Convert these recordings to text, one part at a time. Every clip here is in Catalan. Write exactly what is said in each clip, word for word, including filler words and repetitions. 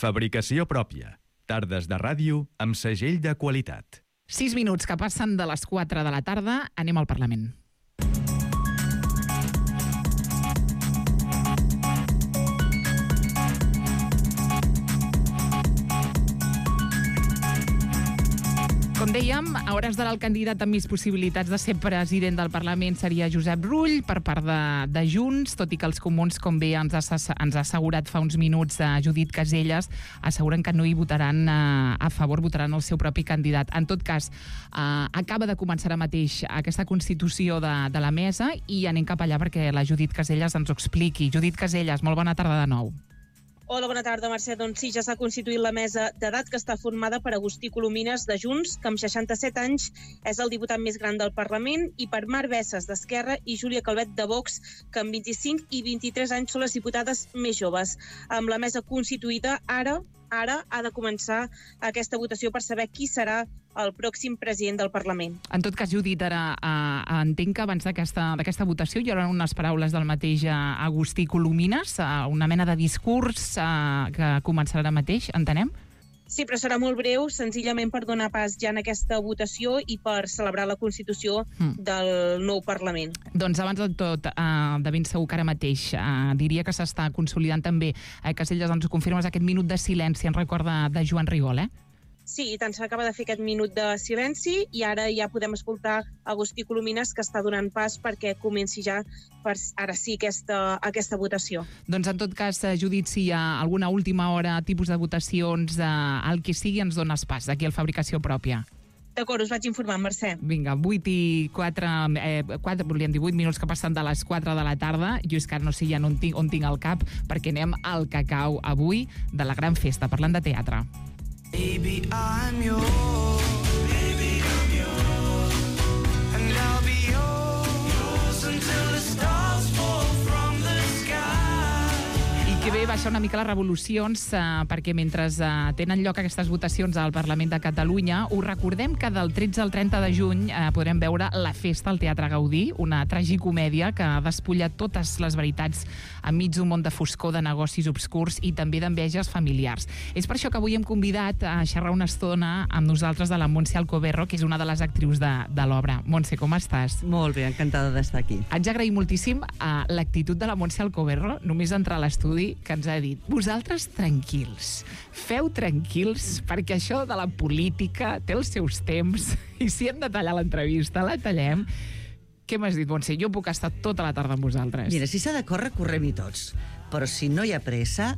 Fabricació pròpia. Tardes de ràdio amb segell de qualitat. Sis minuts que passen de les quatre de la tarda. Anem al Parlament. Com dèiem, a hores d'ara el candidat amb més possibilitats de ser president del Parlament seria Josep Rull per part de, de Junts, tot i que els comuns, com bé ens ha, ens ha assegurat fa uns minuts a Judit Caselles, asseguren que no hi votaran a, a favor, votaran el seu propi candidat. En tot cas, eh, acaba de començar ara mateix aquesta constitució de, de la mesa i anem cap allà perquè la Judit Caselles ens ho expliqui. Judit Caselles, molt bona tarda de nou. Hola, bona tarda, Mercè. Doncs sí, ja s'ha constituït la mesa d'edat que està formada per Agustí Colomines de Junts, que amb seixanta-set anys és el diputat més gran del Parlament, i per Mar Bessas d'Esquerra i Júlia Calvet de Vox, que amb vint-i-cinc i vint-i-tres anys són les diputades més joves. Amb la mesa constituïda, ara ara ha de començar aquesta votació per saber qui serà el pròxim president del Parlament. En tot cas, Judit, ara eh, entenc que abans d'aquesta d'aquesta votació hi haurà unes paraules del mateix eh, Agustí Colomines, eh, una mena de discurs eh, que començarà ara mateix, entenem? Sí, però serà molt breu, senzillament per donar pas ja en aquesta votació i per celebrar la Constitució mm. del nou Parlament. Doncs abans de tot, eh, de ben segur que ara mateix eh, diria que s'està consolidant també, eh, Caselles, ens ho confirmes, aquest minut de silenci en record de, de Joan Rigol, eh? Sí, i tant s'acaba de fer aquest minut de silenci i ara ja podem escoltar Agustí Colomines, que està donant pas perquè comenci ja, per ara sí, aquesta, aquesta votació. Doncs en tot cas, Judit, si hi ha alguna última hora, tipus de votacions, eh, el que sigui, ens dones pas aquí al Fabricació Pròpia. D'acord, us vaig informar, Mercè. Vinga, vuit i quatre, eh, quatre, volíem dir vuit minuts que passen de les quatre de la tarda. Jo és que no sé ja on tinc, on tinc el cap, perquè anem al cacau avui de la gran festa, parlant de teatre. Baby, I'm yours. Baby, I'm yours. And I'll be yours, yours until the stars fall from the sky. I que bé baixar una mica les revolucions, eh, perquè mentre eh, tenen lloc aquestes votacions al Parlament de Catalunya, us recordem que del tretze al trenta de juny eh, podrem veure La Festa al Teatre Gaudí, una tragicomèdia que despulla totes les veritats enmig d'un món de foscor, de negocis obscurs i també d'enveges familiars. És per això que avui hem convidat a xerrar una estona amb nosaltres de la Montse Alcoberro, que és una de les actrius de, de l'obra. Montse, com estàs? Molt bé, encantada d'estar aquí. Haig d'agrair moltíssim a l'actitud de la Montse Alcoberro, només entrar a l'estudi, que ens ha dit, vosaltres tranquils, feu tranquils, perquè això de la política té els seus temps, i si hem de tallar l'entrevista, la tallem. Què m'has dit, Montse? Jo puc estar tota la tarda amb vosaltres. Mira, si s'ha de córrer, correm-hi tots. Però si no hi ha pressa,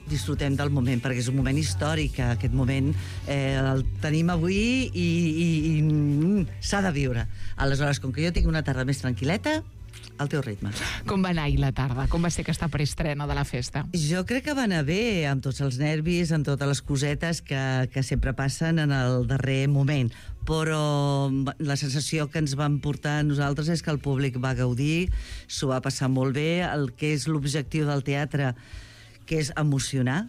disfrutem del moment, perquè és un moment històric. Aquest moment eh, el tenim avui i, i, i mm, s'ha de viure. Aleshores, com que jo tinc una tarda més tranquil·leta, al teu ritme. Com va anar ahir la tarda? Com va ser aquesta preestrena de la festa? Jo crec que va anar bé, amb tots els nervis, amb totes les cosetes que, que sempre passen en el darrer moment. Però la sensació que ens van portar a nosaltres és que el públic va gaudir, s'ho va passar molt bé, el que és l'objectiu del teatre, que és emocionar,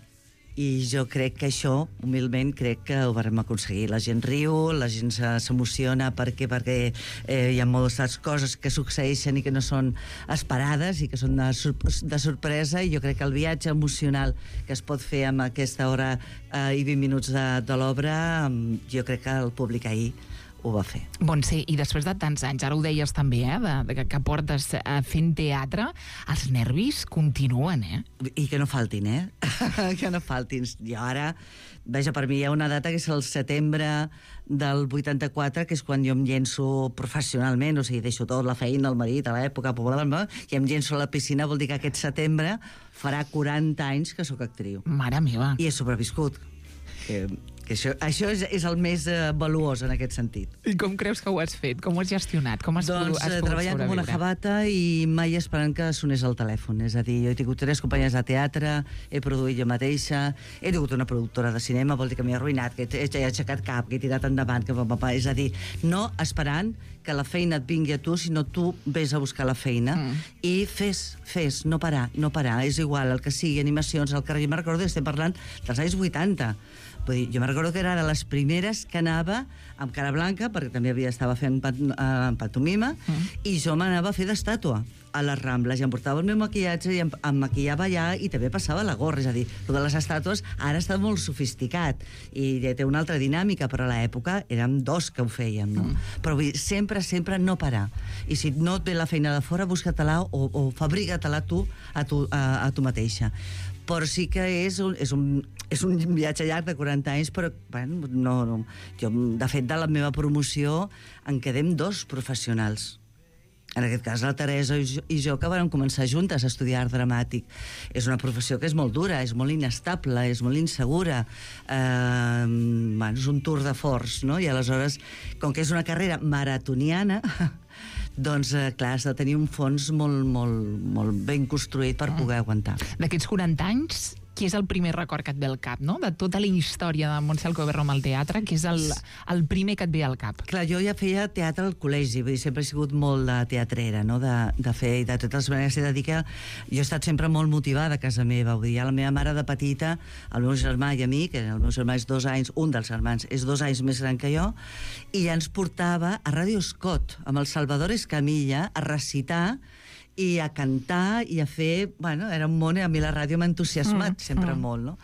i jo crec que això, humilment, crec que ho vam aconseguir. La gent riu, la gent s'emociona perquè, perquè eh, hi ha moltes coses que succeeixen i que no són esperades i que són de, de sorpresa, i jo crec que el viatge emocional que es pot fer amb aquesta hora eh, i vint minuts de, de l'obra, jo crec que el públic ahir ho va fer. Bon, sí, i després de tants anys, ara ho deies també, eh, de, de, que portes eh, fent teatre, els nervis continuen, eh? I que no faltin, eh? que no faltin. Jo ara, veja, per mi hi ha una data que és el setembre del vuitanta-quatre, que és quan jo em llenço professionalment, o sigui, deixo tot, la feina, el marit, a l'època, i em llenço a la piscina, vol dir que aquest setembre farà quaranta anys que sóc actriu. Mare meva. I he sobreviscut. Que, que això, això és, és el més uh, valuós en aquest sentit. I com creus que ho has fet? Com ho has gestionat? Com has doncs has treballant com una jabata i mai esperant que sonés el telèfon. És a dir, jo he tingut tres companyies de teatre, he produït jo mateixa, he tingut una productora de cinema, vol dir que m'he arruïnat, que he, he aixecat cap, que he tirat endavant, que papà, és a dir, no esperant que la feina et vingui a tu, sinó tu vés a buscar la feina mm. i fes, fes, no parar, no parar, és igual, el que sigui, animacions, al carrer. Jo me'n recordo, estem parlant dels anys vuitanta. Vull dir, jo me'n recordo que era de les primeres que anava amb cara blanca, perquè també havia estava fent pan, uh, pantomima, mm. i jo m'anava a fer d'estàtua. a les Rambles i em portava el meu maquillatge i em, em maquillava allà i també passava la gorra, és a dir, el de les estàtues ara està molt sofisticat i té una altra dinàmica, però a l'època érem dos que ho fèiem, no? Mm. Però vull dir, sempre, sempre no parar. I si no et ve la feina de fora, busca-te-la o, o fabrica-te-la tu a tu, a, a tu mateixa. Però sí que és un, és un, és un viatge llarg de quaranta anys, però bueno, no, no. Jo, de fet, de la meva promoció en quedem dos professionals. En aquest cas, la Teresa i jo, i jo que vam començar juntes a estudiar art dramàtic. És una professió que és molt dura, és molt inestable, és molt insegura. Eh, bueno, és un tour de force, no? I aleshores, com que és una carrera maratoniana, doncs, eh, clar, has de tenir un fons molt, molt, molt ben construït per poder aguantar. D'aquests quaranta anys, qui és el primer record que et ve al cap, no? De tota la història de Montse Alcoberro amb el teatre, qui és el, el primer que et ve al cap? Clar, jo ja feia teatre al col·legi, vull dir, sempre he sigut molt de teatrera, no?, de, de fer, i de totes maneres he de dir que jo he estat sempre molt motivada a casa meva, vull dir, ja la meva mare de petita, el meu germà i a mi, que el meu germà és dos anys, un dels germans és dos anys més gran que jo, i ja ens portava a Ràdio Escot, amb el Salvador Escamilla, a recitar i a cantar i a fer... Bueno, era un món, i a mi la ràdio m'ha entusiasmat mm, sempre mm. molt, no?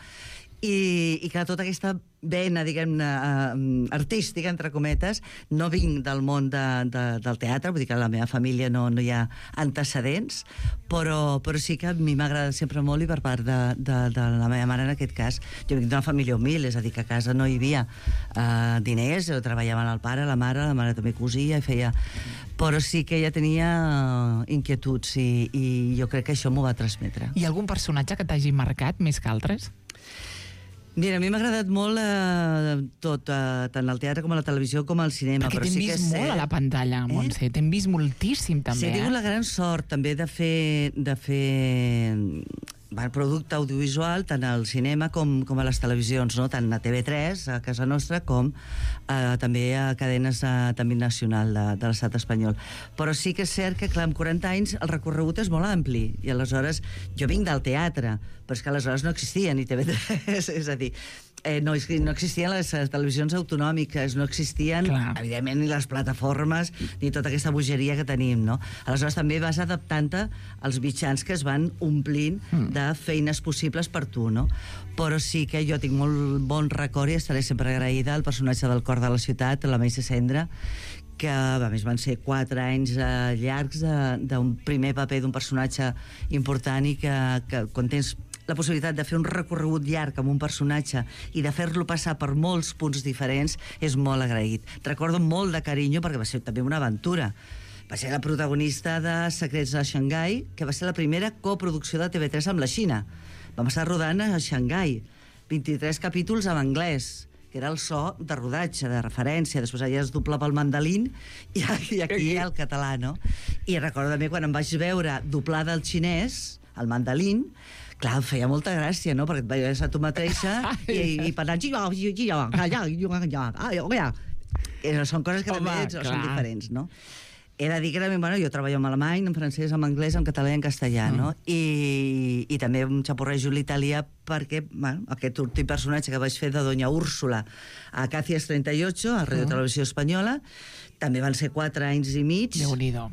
I, i que tota aquesta vena, diguem-ne, uh, artística, entre cometes, no vinc del món de, de, del teatre, vull dir que a la meva família no, no hi ha antecedents, però, però sí que a mi m'agrada sempre molt, i per part de, de, de la meva mare, en aquest cas, jo vinc d'una família humil, és a dir, que a casa no hi havia uh, diners, treballaven el pare, la mare, la mare també cosia, i feia... Però sí que ella tenia inquietuds, i, i jo crec que això m'ho va transmetre. Hi ha algun personatge que t'hagi marcat més que altres? Mira, a mi m'ha agradat molt eh, tot, eh, tant al teatre com a la televisió com al cinema. Perquè però t'hem sí vist que molt sé... a la pantalla, Montse. Eh? T'hem vist moltíssim, també. Sí, he tingut eh? la gran sort, també, de fer... De fer bueno, producte audiovisual tant al cinema com, com a les televisions, no? Tant a T V tres, a casa nostra, com eh, també a cadenes eh, també nacional de, de l'estat espanyol. Però sí que és cert que, clar, amb quaranta anys el recorregut és molt ampli, i aleshores jo vinc del teatre, però és que aleshores no existia ni T V tres, és a dir, eh, no, no existien les televisions autonòmiques, no existien, clar, evidentment, ni les plataformes, ni tota aquesta bogeria que tenim, no? Aleshores també vas adaptant-te als mitjans que es van omplint mm. de feines possibles per tu, no? Però sí que jo tinc molt bon record i estaré sempre agraïda al personatge del Cor de la Ciutat, la Meissa Cendra, que a més van ser quatre anys eh, llargs d'un primer paper d'un personatge important, i que, que quan tens la possibilitat de fer un recorregut llarg amb un personatge i de fer-lo passar per molts punts diferents és molt agraït. Recordo molt de carinyo perquè va ser també una aventura. Va ser la protagonista de Secrets de Xangai, que va ser la primera coproducció de T V tres amb la Xina. Vam estar rodant a Xangai, vint-i-tres capítols en anglès, que era el so de rodatge, de referència. Després allà es doblava el mandolín i, i aquí el català, no? I recordo també quan em vaig veure doblada al xinès, el mandolín, clar, em feia molta gràcia, no? Perquè et veies a tu mateixa i, i parlant... Són coses que Home, també clar. són diferents, no? He de dir que també, bueno, jo treballo en alemany, en francès, en anglès, en català i en castellà, no? Mm. I, i també em xaporrejo l'italià perquè, bueno, aquest últim personatge que vaig fer de Doña Úrsula a Càcies trenta y ocho, a Radio mm. Televisió Espanyola, també van ser quatre anys i mig. Déu-n'hi-do.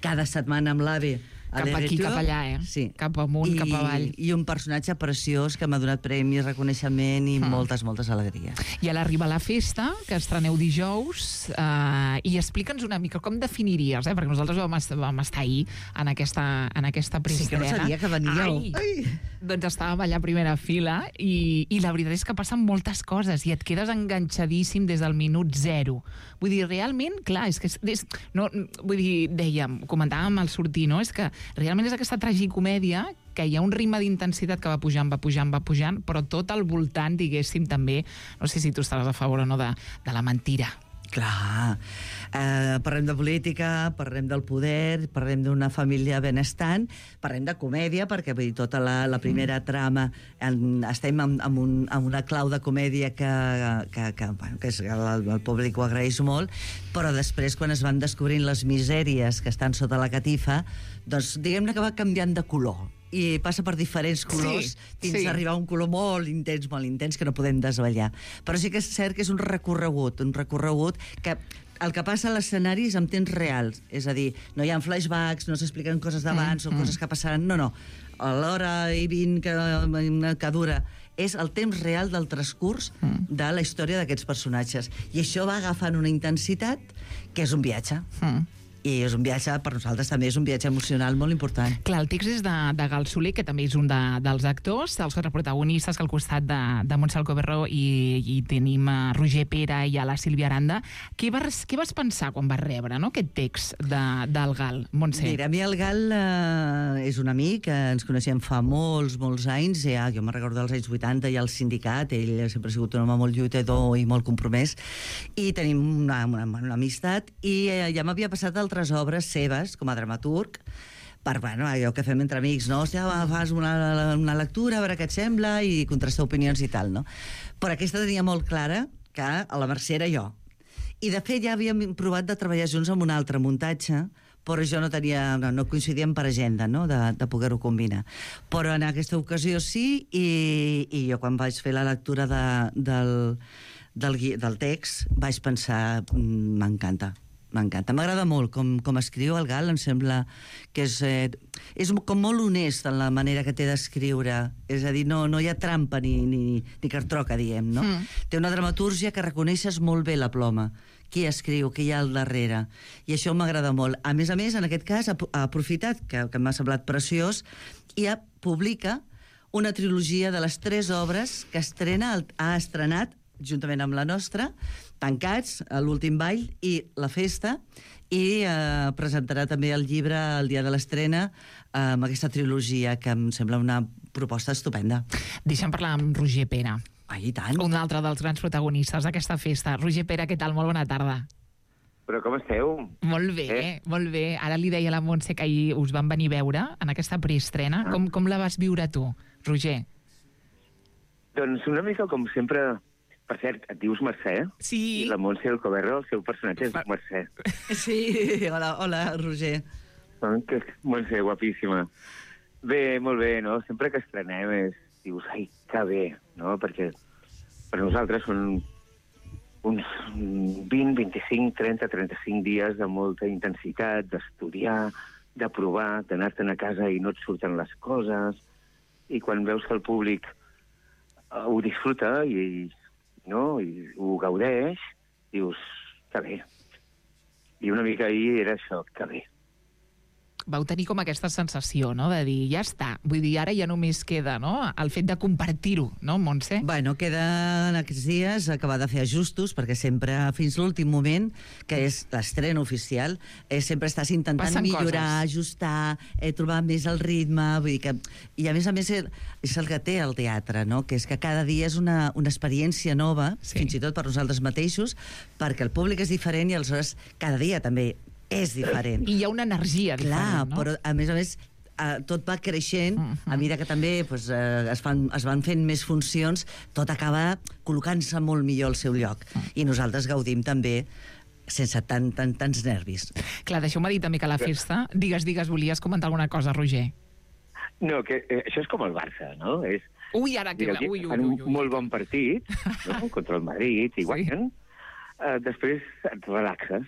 Cada setmana amb l'AVE a Cap aquí, cap allà, eh? Sí. Cap amunt, I, cap avall. I un personatge preciós que m'ha donat premis, reconeixement i mm. moltes, moltes alegries. I a l'arribar a la festa, que estreneu dijous, eh, i explica'ns una mica com definiries, eh? Perquè nosaltres vam estar, vam estar ahir en aquesta, en aquesta preestrena. Sí que no sabia que veníeu. Ai, Ai. Doncs estàvem allà a primera fila i, i la veritat és que passen moltes coses i et quedes enganxadíssim des del minut zero. Vull dir, realment, clar, és que... És, és, no, vull dir, dèiem, comentàvem al sortir, no? És que realment és aquesta tragicomèdia que hi ha un ritme d'intensitat que va pujant, va pujant, va pujant, però tot al voltant, diguéssim, també, no sé si tu estaràs a favor o no, de, de la mentira. Clar, eh, parlem de política, parlem del poder, parlem d'una família benestant, parlem de comèdia, perquè vull dir, tota la, la primera trama en, estem amb, amb, un, amb una clau de comèdia que, que, que, bueno, que és, el, el públic ho agraeix molt, però després, quan es van descobrint les misèries que estan sota la catifa, doncs diguem-ne que va canviant de color i passa per diferents colors, sí, fins sí. a arribar a un color molt intens, molt intens, que no podem desvetllar. Però sí que és cert que és un recorregut, un recorregut que el que passa a l'escenari és en temps real, és a dir, no hi ha flashbacks, no s'expliquen coses d'abans mm, o coses que passaran, no, no. A l'hora i vint que, que dura és el temps real del transcurs mm. de la història d'aquests personatges. I això va agafant una intensitat que és un viatge. Mm. I és un viatge, per nosaltres també és un viatge emocional molt important. Clar, el text és de, de Gal Soler, que també és un de, dels actors, els quatre protagonistes, que al costat de, de Montse Alcoberro i, i tenim a Roger Pera i a la Sílvia Aranda. Què vas, què vas pensar quan vas rebre, no?, aquest text de, del Gal, Montse? Mira, a mi el Gal eh, és un amic, que ens coneixem fa molts, molts anys, ja, jo me'n recordo dels anys vuitanta i al sindicat, ell sempre ha sigut un home molt lluitador i molt compromès, i tenim una, una, una amistat, i eh, ja m'havia passat el altres obres seves, com a dramaturg, per, bueno, allò que fem entre amics, no? Hòstia, va, fas una, una lectura, a veure què et sembla, i contrastar opinions i tal, no? Però aquesta tenia molt clara que a la Mercè era jo. I, de fet, ja havíem provat de treballar junts amb un altre muntatge, però jo no tenia, no, no coincidíem per agenda, no?, de, de poder-ho combinar. Però en aquesta ocasió sí, i, i jo quan vaig fer la lectura de, del, del, del text vaig pensar, m'encanta. M'encanta. M'agrada molt com, com escriu el Gal, em sembla que és, eh, és com molt honest en la manera que té d'escriure. És a dir, no, no hi ha trampa ni, ni, ni cartroca, diem, no? Mm. Té una dramatúrgia que reconeixes molt bé la ploma, qui escriu, qui hi ha al darrere. I això m'agrada molt. A més a més, en aquest cas, ha, ha aprofitat, que, que m'ha semblat preciós, i ha, publica una trilogia de les tres obres que estrena, ha estrenat, juntament amb la nostra, Tancats, l'últim ball i la festa, i eh, presentarà també el llibre el dia de l'estrena eh, amb aquesta trilogia, que em sembla una proposta estupenda. Deixa'm parlar amb Roger Pera. Ah, i tant. Un altre dels grans protagonistes d'aquesta festa. Roger Pera, què tal? Molt bona tarda. Però com esteu? Molt bé, eh? molt bé. Ara li deia a la Montse que ahir us van venir a veure en aquesta preestrena. Ah. Com, com la vas viure tu, Roger? Doncs una mica com sempre. Per cert, et dius Mercè? Sí. I la Montse Alcoberro, el seu personatge és Mercè. Sí, hola, hola, Roger. Oh, que Montse, guapíssima. Bé, molt bé, no? Sempre que estrenem és, dius, ai, que bé, no? Perquè per nosaltres són uns vint, vint-i-cinc, trenta, trenta-cinc dies de molta intensitat, d'estudiar, de provar, d'anar-te'n a casa i no et surten les coses, i quan veus que el públic uh, ho disfruta i no? I ho gaudeix, dius, que bé. I una mica ahir era això, que bé. Vau tenir com aquesta sensació, no?, de dir, ja està. Vull dir, ara ja només queda, no?, el fet de compartir-ho, no, Montse? Bueno, queda en aquests dies acabar de fer ajustos, perquè sempre, fins l'últim moment, que és l'estrena oficial, eh, sempre estàs intentant Passen millorar, coses. ajustar, eh, trobar més el ritme, vull dir que... I a més a més és el que té el teatre, no?, que és que cada dia és una, una experiència nova, sí. Fins i tot per nosaltres mateixos, perquè el públic és diferent i aleshores cada dia també és diferent. I hi ha una energia Clar, diferent, no? Però a més a més eh, tot va creixent, uh-huh. A mesura que també pues, eh, es, fan, es van fent més funcions, tot acaba col·locant-se molt millor al seu lloc. Uh-huh. I nosaltres gaudim també sense tant, tant, tants nervis. Clar, deixeu-me dir també que a la festa... Digues, digues, volies comentar alguna cosa, Roger? No, que eh, això és com el Barça, no? És, ui, ara que... Ui, ui, ui, fan ui, un ui. molt bon partit, no?, contra el Madrid, i guanyen. Sí. Uh, després et relaxes,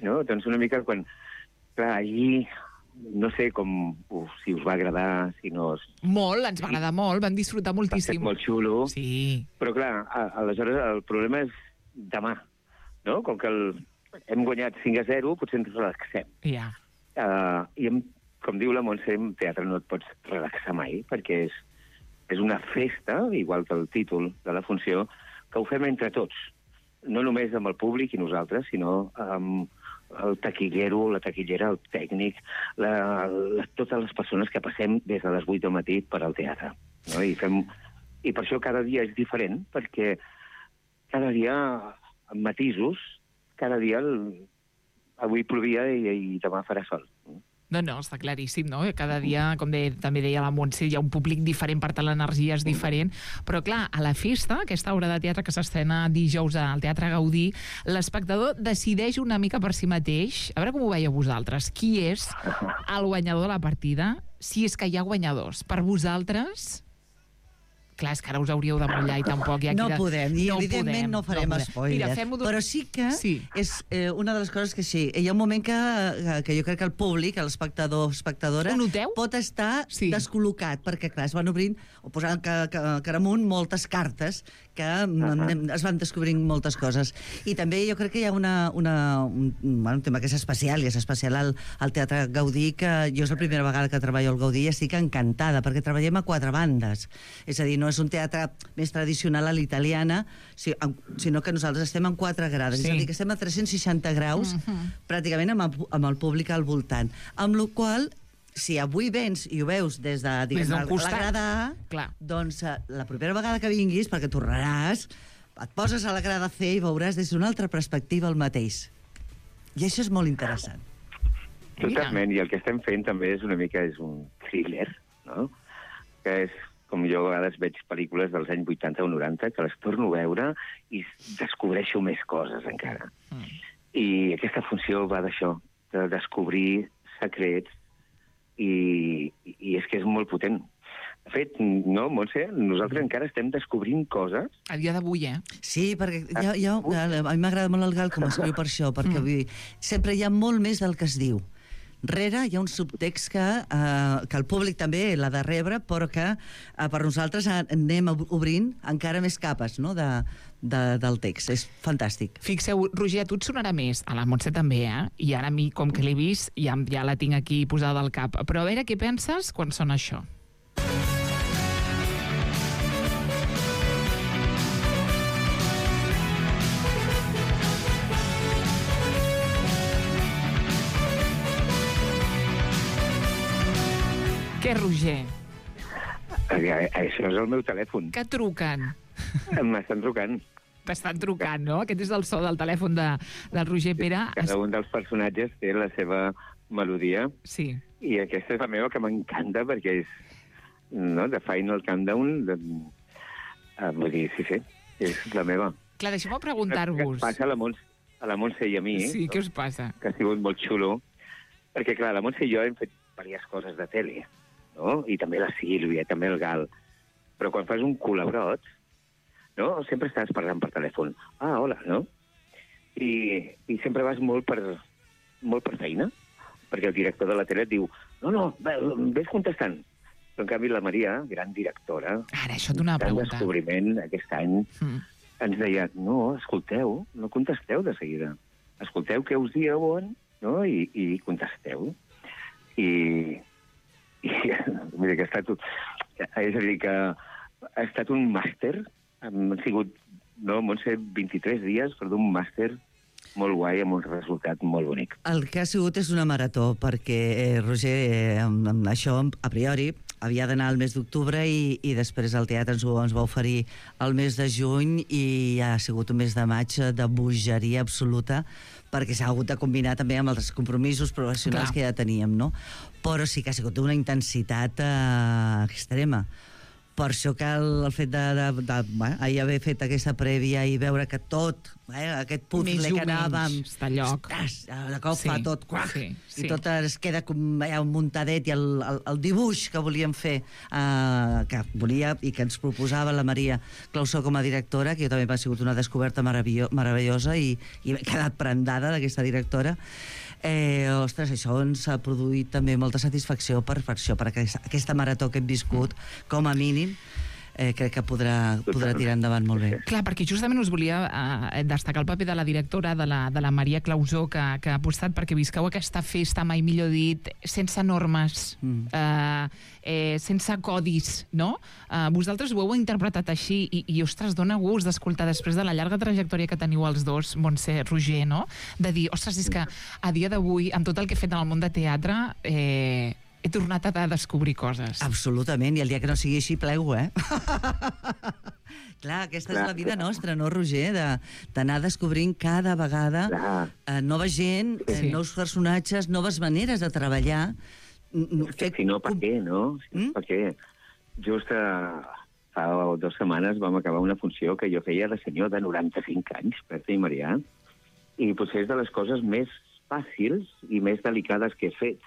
no? Doncs una mica quan... Clar, allí, no sé com, uf, si us va agradar, si no... Molt, ens va agradar molt, vam disfrutar moltíssim. Va ser molt xulo. Sí. Però clar, a, aleshores el problema és demà, no? Com que el, hem guanyat cinc a zero, potser ens relaxem. Ja. Yeah. Uh, I hem, com diu la Montse, en teatre no et pots relaxar mai, perquè és, és una festa, igual que el títol de la funció, que ho fem entre tots. No només amb el públic i nosaltres, sinó amb el taquillero, la taquillera, el tècnic, la, la, totes les persones que passem des de les vuit del matí per al teatre. No? I, fem, I per això cada dia és diferent, perquè cada dia, amb matisos, cada dia, el, avui plovia i, i demà farà sol. No, no, està claríssim, no? Cada dia, com de, també deia la Montse, hi ha un públic diferent, per tant l'energia és diferent, però clar, a la festa, aquesta obra de teatre que s'estrena dijous al Teatre Gaudí, l'espectador decideix una mica per si mateix, a veure com ho veieu vosaltres, qui és el guanyador de la partida, si és que hi ha guanyadors. Per vosaltres, Clar, és que ara us hauríeu de mullar i tampoc hi ha No qui de... podem, i no evidentment podem, no farem podem. spoiler. Mira, fem-ho d'un- Però sí que Sí. és eh, una de les coses que sí. Hi ha un moment que, que jo crec que el públic, l'espectador o espectadora, Ho noteu? pot estar Sí. descol·locat, perquè clar, es van obrint o posant ca, ca, cara amunt moltes cartes que uh-huh. es van descobrint moltes coses. I també jo crec que hi ha una, una, un, bueno, un tema que és especial, i és especial al, al Teatre Gaudí, que jo és la primera vegada que treballo al Gaudí i estic encantada, perquè treballem a quatre bandes. És a dir, no és un teatre més tradicional a l'italiana, sinó que nosaltres estem en quatre grades. Sí. És a dir, que estem a tres-cents seixanta graus, Mhm. pràcticament amb el, amb el públic al voltant. Amb la qual si avui vens i ho veus des de diguem, Des d'un la, costat. la grada A, Clar. doncs eh, la propera vegada que vinguis, perquè tornaràs, et poses a la grada C i veuràs des d'una altra perspectiva el mateix. I això és molt interessant. Totalment, i el que estem fent també és una mica és un thriller, no? Que és, com jo a vegades veig pel·lícules dels anys vuitanta o noranta, que les torno a veure i descobreixo més coses encara. Mm. I aquesta funció va d'això, de descobrir secrets, i, i és que és molt potent. De fet, no, Montse, nosaltres encara estem descobrint coses. A dia d'avui, eh? Sí, perquè jo, jo, a mi m'agrada molt el Gal com escriu per això, perquè vull dir, sempre hi ha molt més del que es diu. Rere hi ha un subtext que, eh, que el públic també l'ha de rebre, però que eh, per nosaltres anem obrint encara més capes, no?, de, de, del text. És fantàstic. Fixeu, Roger, a tu et sonarà més, a la Montse també, eh? I ara a mi, com que l'he vist, ja, ja la tinc aquí posada al cap. Però a veure què penses quan sona això. Què, Roger? Això és el meu telèfon. Que truquen? M'estan trucant. T'estan trucant, no? Aquest és el so del telèfon de, del Roger Pere. Cada un dels personatges té la seva melodia, Sí. i aquesta és la meva, que m'encanta, perquè és, no, de Final Countdown, de... Ah, vull dir, sí, sí, és la meva. Clar, deixeu-me Que preguntar-vos. passa a la, Montse, a la Montse i a mi, Sí, no? què us passa? Que ha sigut molt xulo, perquè, clar, la Montse i jo hem fet diverses coses de tele, no? I també la Sílvia, també el Gal. Però quan fas un col·labrot, no? Sempre estàs parlant per telèfon. Ah, hola, no? I, i sempre vas molt per, molt per feina, perquè el director de la tele et diu no, no, ves contestant. Però, en canvi, la Maria, gran directora, Ara, això et donava a gran preguntar. descobriment aquest any, Mm. ens deia, no, escolteu, no contesteu de seguida. Escolteu què us diuen, no? I, i contesteu. I, i mira, que ha estat, és a dir, que ha estat un màster, han sigut, no, Montse, vint-i-tres dies per d'un màster molt guai, amb un resultat molt bonic. El que ha sigut és una marató, perquè, eh, Roger, eh, amb, amb això, a priori, havia d'anar al mes d'octubre i, i després el teatre ens, ho, ens va oferir el mes de juny i ha sigut un mes de maig de bogeria absoluta, perquè s'ha hagut de combinar també amb els compromisos professionals Clar. que ja teníem, no? Però sí que ha sigut una intensitat eh, extrema. Per això que el, el fet de, de, de bueno, ahir haver fet aquesta prèvia i veure que tot, eh, aquest Més puzzle o que anàvem... menys està a lloc. Ostres, de cop Sí, fa tot quac, sí, sí. i tot es queda com eh, muntadet, i el, el, el dibuix que volíem fer, eh, que volia i que ens proposava la Maria Clausó com a directora, que jo també m'ha sigut una descoberta meravello, meravellosa i, i m'he quedat prendada d'aquesta directora. Eh, ostres, això ens ha produït també molta satisfacció per, per això, per aquesta, aquesta marató que hem viscut, com a mínim, eh, crec que podrà, podrà tirar endavant molt bé. Clar, perquè justament us volia eh, destacar el paper de la directora, de la, de la Maria Clausó, que, que ha apostat perquè visqueu aquesta festa, mai millor dit, sense normes, Mm. eh, eh, sense codis, no? Eh, vosaltres ho heu interpretat així i, i ostres, dona gust d'escoltar després de la llarga trajectòria que teniu els dos, Montse, Roger, no? De dir, ostres, és que a dia d'avui, amb tot el que he fet en el món de teatre, eh, he tornat a descobrir coses. Absolutament, i el dia que no sigui així plego, eh? Clar, aquesta és la vida nostra, no, Roger? De- D'anar descobrint cada vegada Clar. eh, nova gent, eh, Sí. nous personatges, noves maneres de treballar. n- n- És que fer si no, per com- què, no? Si no, Mm? per què? Just uh, fa dues setmanes vam acabar una funció que jo feia de senyor de noranta-cinc anys, Berta i Marià, i potser és de les coses més fàcils i més delicades que he fet.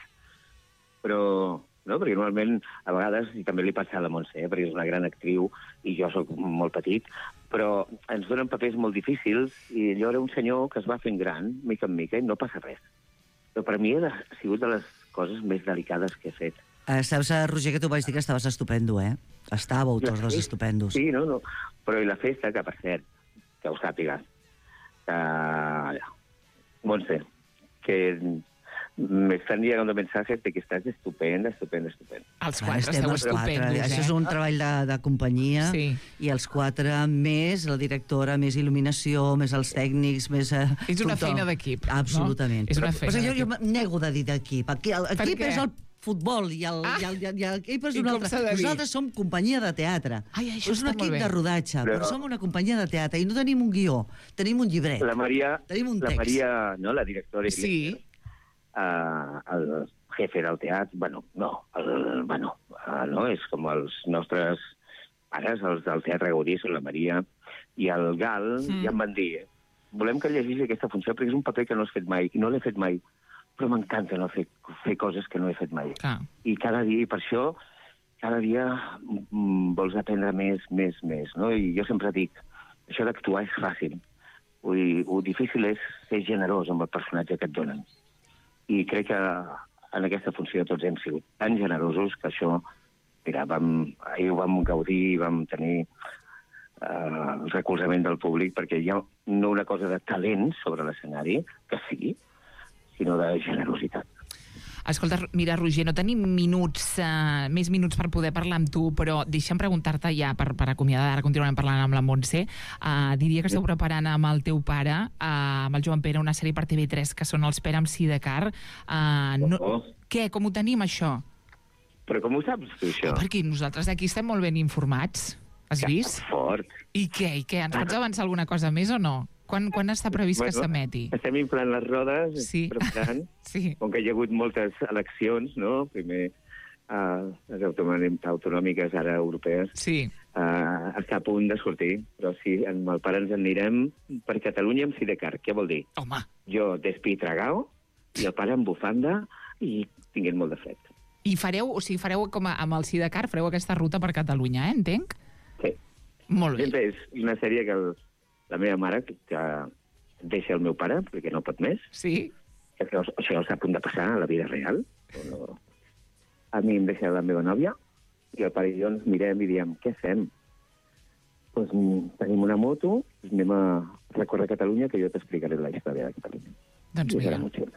Però no? Perquè normalment, a vegades, i també li passa a la Montse, eh? Perquè és una gran actriu i jo sóc molt petit, però ens donen papers molt difícils i allò era un senyor que es va fent gran, mica en mica, i no passa res. Però per mi ha sigut de les coses més delicades que he fet. Eh, saps, Roger, que tu vaig dir que estaves estupendo, eh? Estàveu tots dos estupendos. Sí, no, no. Però i la festa, que per cert, que ho sàpigues, que... Montse, que me están llegando mensajes de que estás estupenda, estupenda, estupenda. Els Clar, quatre estem esteu els quatre. estupendos, eh? Això és un treball de, de companyia, Sí. i els quatre més, la directora, més il·luminació, més els tècnics, més... Eh, És una tothom. feina d'equip, no? Absolutament. És una Però- feina però jo, jo d'equip. em nego de dir d'equip. Aquí, el, Per equip què? és el futbol i el, Ah! i el, i el, i el equip és I un com altre. s'ha de dir? Nosaltres som companyia de teatre. Ai, això és un està molt equip bé. de rodatge, Però- però som una companyia de teatre i no tenim un guió, tenim un llibret. La Maria, Tenim un la text. Maria, no, la directora, Sí. uh, el jefe del teatre, bueno, no, el, bueno, uh, no, és com els nostres pares, els del Teatre Gaudí, són la Maria i el Gal, Mm. ja em van dir, volem que llegeixi aquesta funció perquè és un paper que no has fet mai, i no l'he fet mai, però m'encanta no fer, fer coses que no he fet mai. Clar. I cada dia, i per això, cada dia mm, vols aprendre més, més, més, no? I jo sempre dic, això d'actuar és fàcil. Vull dir, el difícil és ser generós amb el personatge que et donen. I crec que en aquesta funció tots hem sigut tan generosos que això, mira, vam, ahir ho vam gaudir, vam tenir eh, el recolzament del públic, perquè hi ha no una cosa de talent sobre l'escenari, que sí, sinó de generositat. Escolta, mira, Roger, no tenim minuts, uh, més minuts per poder parlar amb tu, però deixa'm preguntar-te ja, per, per acomiadar, ara continuarem parlant amb la Montse, uh, diria que esteu preparant amb el teu pare, uh, amb el Joan Pere, una sèrie per T V tres que són els Pere amb Sidecar. Uh, no, Oh. Què, com ho tenim, això? Però com ho saps, tu, això? Perquè nosaltres aquí estem molt ben informats. Has vist? Fort. I què, i què? Ens pots avançar alguna cosa més o no? Quan, quan està previst que Bueno, s'emeti? Estem inflant les rodes, Sí. preparant, Sí. com que hi ha hagut moltes eleccions, no? Primer uh, les autonòmiques, autonòmiques, ara europees, Sí. uh, està a punt de sortir. Però sí, amb el pare ens en anirem per Catalunya amb Sidecar. Què vol dir? Home, Jo despitragao i el pare amb bufanda i tinguent molt de fred. i fareu, o sigui, fareu com a, amb el Sidecar, fareu aquesta ruta per Catalunya, eh? Entenc? Sí. Molt bé. Sempre és una sèrie que el, la meva mare, que, que deixa el meu pare, perquè no pot més, Sí? que això, això està a punt de passar a la vida real. No, a mi em deixa la meva nòvia i el pare i jo ens mirem i diem, què fem? Pues, mm, tenim una moto, anem a recórrer Catalunya, que jo t'explicaré la història de Catalunya. Doncs I serà mira, molt xulo.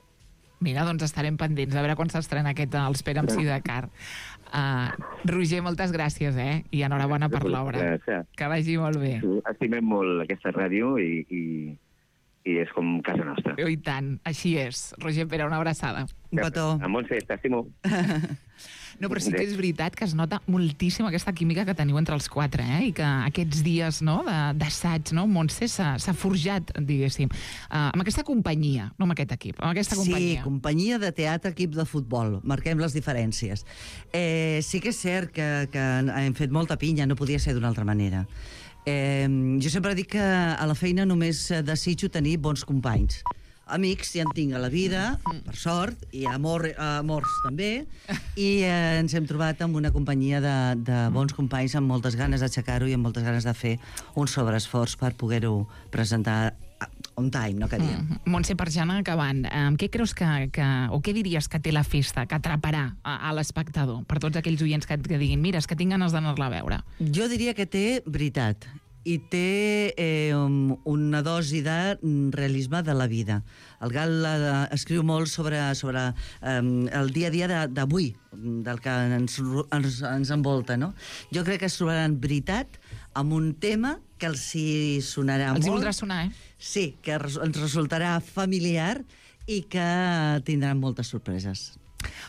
mira, doncs estarem pendents a veure quan s'estrena aquest Els Pere amb Sidecar. Uh, Roger, moltes gràcies, eh? I enhorabona per l'obra. Gràcies. Que vagi molt bé. Estimem molt aquesta ràdio i, i, i és com casa nostra. I tant, així és. Roger Pere, una abraçada. Un petó. A Montse, t'estimo. No, però sí que és veritat que es nota moltíssim aquesta química que teniu entre els quatre, eh? I que aquests dies, no?, de- d'assaig, no?, Montse s'ha s'ha forjat, diguéssim, uh, amb aquesta companyia, no amb aquest equip, amb aquesta companyia. Sí, companyia de teatre, equip de futbol. Marquem les diferències. Eh, sí que és cert que, que hem fet molta pinya, no podia ser d'una altra manera. Eh, jo sempre dic que a la feina només desitjo tenir bons companys. Amics ja en tinc a la vida, per sort, i amor, amors també, i eh, ens hem trobat amb una companyia de, de bons companys amb moltes ganes d'aixecar-ho i amb moltes ganes de fer un sobreesforç per poder-ho presentar on time, no que diem. Mm -hmm. Montse, per ja anar acabant, amb què creus que, que, o què diries que té la festa, que atraparà a, a l'espectador, per tots aquells oients que, que diguin, mira, és que tinc ganes d'anar-la a veure? Jo diria que té veritat i té eh, una dosi de realisme de la vida. El Gal eh, escriu molt sobre, sobre eh, el dia a dia d'avui, del que ens, ens, ens envolta, no? Jo crec que es trobaran veritat amb un tema que els hi sonarà Els hi molt. voldrà sonar, eh? Sí, que res- ens resultarà familiar i que tindran moltes sorpreses.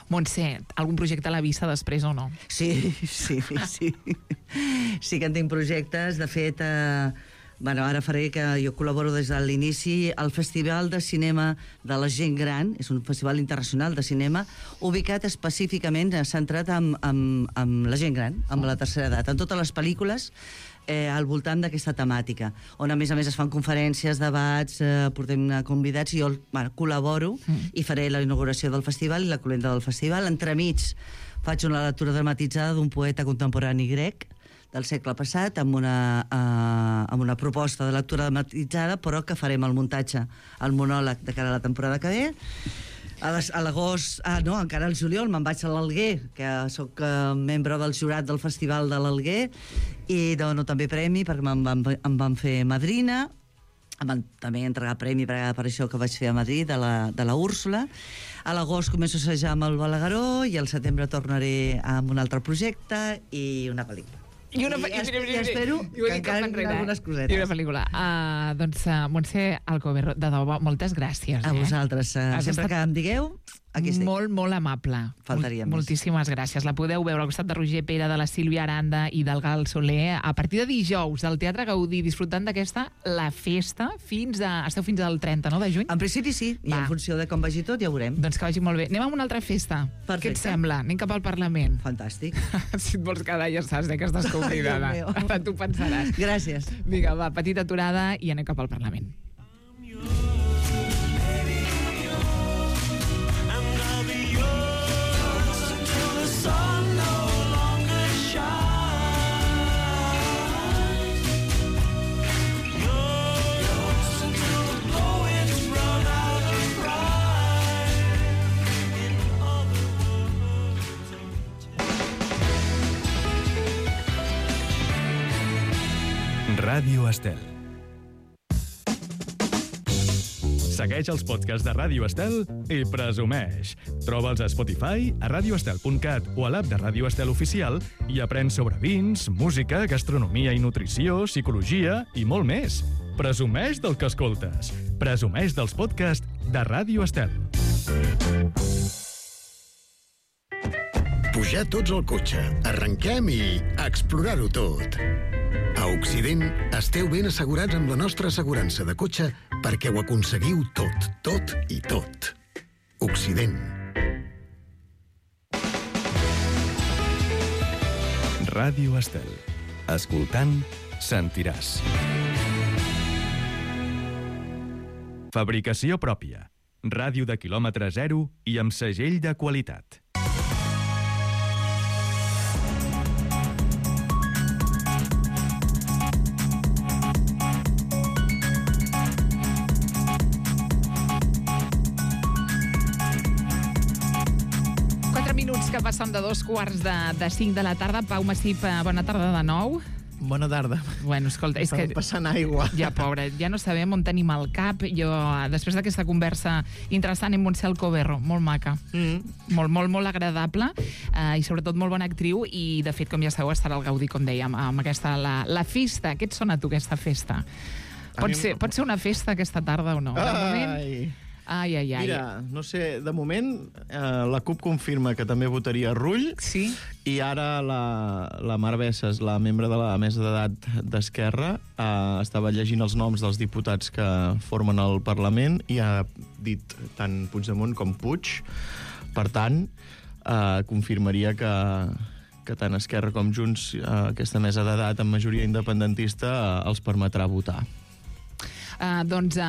Montse, algun projecte a la vista després o no? Sí, sí, sí. Sí que en tinc projectes. De fet, eh, bueno, ara faré que jo col·laboro des de l'inici al Festival de Cinema de la Gent Gran. És un festival internacional de cinema ubicat específicament, eh, centrat en, en, en la gent gran, amb la tercera edat. En totes les pel·lícules eh, al voltant d'aquesta temàtica, on a més a més es fan conferències, debats, eh, portem convidats, i jo bueno, col·laboro mm. i faré la inauguració del festival i la cloenda del festival. Entremig faig una lectura dramatitzada d'un poeta contemporani grec del segle passat, amb una, uh, amb una proposta de lectura dramatitzada, però que farem el muntatge, el monòleg de cara a la temporada que ve. A les- a l'agost, ah, no, encara al juliol me'n vaig a l'Alguer, que sóc uh, membre del jurat del Festival de l'Alguer, i dono també premi, perquè me'n van, em van fer madrina. Em van també entregar premi per, per això que vaig fer a Madrid, de la, de la Úrsula. A l'agost començo a assajar amb el Balagueró i al setembre tornaré amb un altre projecte i una pel·lícula. I, una, I, i, es, mira, mira, i espero mira, i ho he que dit encara tot hi enrere, ha eh? algunes cosetes. I una pel·lícula. Uh, doncs, uh, Montse Alcover, de debò, moltes gràcies. A eh? vosaltres, eh, Has sempre estat que em digueu, aquí estic. Molt, molt amable. Faltaria Mol- més. Moltíssimes gràcies. La podeu veure al costat de Roger Pere, de la Sílvia Aranda i del Gal Soler a partir de dijous al Teatre Gaudí, disfrutant d'aquesta La Festa fins a... Esteu fins al trenta, no?, de juny? En principi sí, i Va. en funció de com vagi tot ja ho veurem. Doncs que vagi molt bé. Anem a una altra festa. Perfecte. Què et sembla? Anem cap al Parlament. Fantàstic. Si et vols quedar ja saps eh, que estàs convidada. Ai, Déu meu. Ara tu pensaràs. Gràcies. Vinga, va, petita aturada i anem cap al Parlament. And I'll be yours until the sun no longer shines. Yours until the poets run out of pride. In other words, Ràdio Estel. Segueix els podcasts de Ràdio Estel i presumeix. Troba'ls a Spotify, a radioestel punt cat o a l'app de Ràdio Estel Oficial i aprèn sobre vins, música, gastronomia i nutrició, psicologia i molt més. Presumeix del que escoltes. Presumeix dels podcasts de Ràdio Estel. Pujar tots al cotxe, arrenquem i explorar-ho tot. A Occident esteu ben assegurats amb la nostra assegurança de cotxe perquè ho aconseguiu tot, tot i tot. Occident. Ràdio Estel. Escoltant, sentiràs. Fabricació pròpia. Ràdio de quilòmetre zero i amb segell de qualitat. Quatre minuts que passen de dos quarts de, de cinc de la tarda. Pau Massip, eh, bona tarda de nou. Bona tarda. Bueno, escolta, és que... Estava passant aigua. Ja, pobra, ja no sabem on tenim el cap. Jo, eh, després d'aquesta conversa interessant amb Montse Alcover, molt maca, Mm. molt, molt, molt agradable, eh, i sobretot molt bona actriu, i de fet, com ja sabeu, estarà al Gaudí, com dèiem, amb aquesta, la, la festa. Què et sona a tu, aquesta festa? A Pot mi em- ser, pot ser una festa aquesta tarda o no? De moment... Ai. Ai, ai, ai. Mira, no sé, de moment eh, la CUP confirma que també votaria Rull Sí? i ara la, la Mar Bessas, la membre de la mesa d'edat d'Esquerra, eh, estava llegint els noms dels diputats que formen el Parlament i ha dit tant Puigdemont com Puig. Per tant, eh, confirmaria que, que tant Esquerra com Junts, eh, aquesta mesa d'edat amb majoria independentista, eh, els permetrà votar. Uh, doncs uh,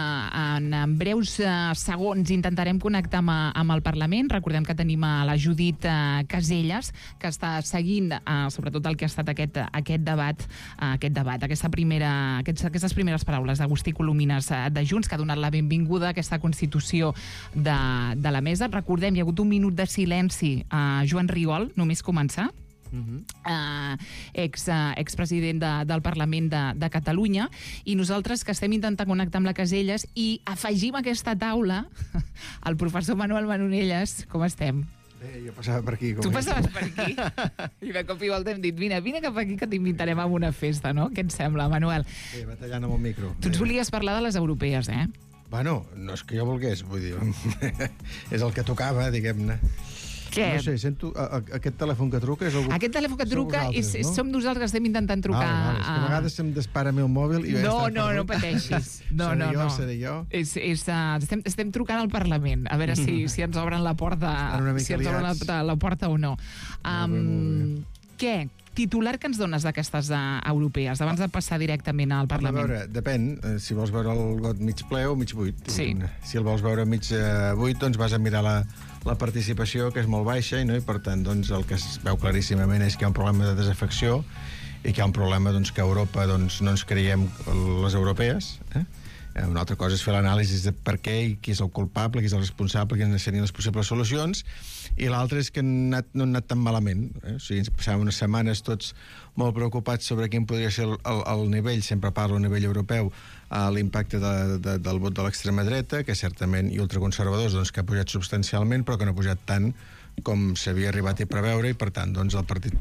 en, en breus uh, segons intentarem connectar amb, amb el Parlament. Recordem que tenim a la Judit uh, Caselles, que està seguint uh, sobretot el que ha estat aquest, aquest debat, uh, aquest debat, aquesta primera, aquests, aquestes primeres paraules d'Agustí Colomines uh, de Junts, que ha donat la benvinguda a aquesta Constitució de, de la mesa. Recordem, hi ha hagut un minut de silenci a uh, Joan Rigol, només començar. Uh-huh. Uh, ex, uh, expresident de, del Parlament de, de Catalunya, i nosaltres que estem intentant connectar amb la Caselles i afegim a aquesta taula el professor Manuel Manonelles. Com estem? Bé, jo passava per aquí. Com Tu és. passaves per aquí i de cop i volta hem dit, vine, vine cap aquí que t'invitarem a una festa, no? Què et sembla, Manuel? Bé, batallant amb el micro. Tu ens Bé. volies parlar de les europees, eh? Bueno, no és que jo volgués, vull dir... és el que tocava, diguem-ne. Què? No sé, sento... A, a, aquest telèfon que truca és algú... Aquest telèfon que Sou truca vosaltres, és, no? som nosaltres que estem intentant trucar. Vale, vale. És que a vegades se'm dispara el meu mòbil i... jo ja No, estava no, no perdut. pateixis. No, seré no, jo, no. seré jo. És, és, uh, estem, estem trucant al Parlament, a veure si, si ens obren la porta, Estan una mica si ens obren la, liats. la porta o no. Molt bé, molt Um, què? titular que ens dones d'aquestes uh, europees, abans de passar directament al Parlament? A veure, depèn, eh, si vols veure el got mig ple o mig buit. Sí. Si el vols veure mig eh, buit, doncs vas a mirar la, la participació, que és molt baixa, no? I per tant, doncs, el que es veu claríssimament és que hi ha un problema de desafecció i que hi ha un problema doncs, que a Europa doncs, no ens creiem les europees, eh? Una altra cosa és fer l'anàlisi de per què i qui és el culpable, qui és el responsable, quines serien les possibles solucions, i l'altre és que han anat, no han anat tan malament. Eh? O sigui, ens passàvem unes setmanes tots molt preocupats sobre quin podria ser el, el, el nivell, sempre parlo a nivell europeu, eh, l'impacte de, de, del vot de l'extrema dreta, que certament, i ultraconservadors, doncs, que ha pujat substancialment, però que no ha pujat tant com s'havia arribat a preveure, i per tant doncs, el Partit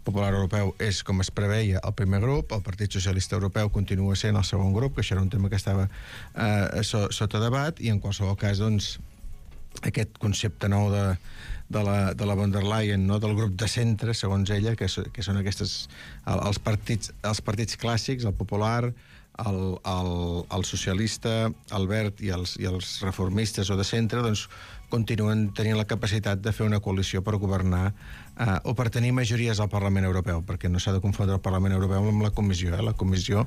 Popular Europeu és, com es preveia, el primer grup, el Partit Socialista Europeu continua sent el segon grup, que això era un tema que estava eh, so, sota debat, i en qualsevol cas doncs, aquest concepte nou de, de, la, de la von der Leyen, no? Del grup de centre, segons ella, que, que són aquestes, el, els, partits, els partits clàssics, el popular, el, el, el socialista, el verd i els, i els reformistes o de centre, doncs continuen tenint la capacitat de fer una coalició per governar eh, o per tenir majories al Parlament Europeu, perquè no s'ha de confondre el Parlament Europeu amb la Comissió. Eh? La Comissió,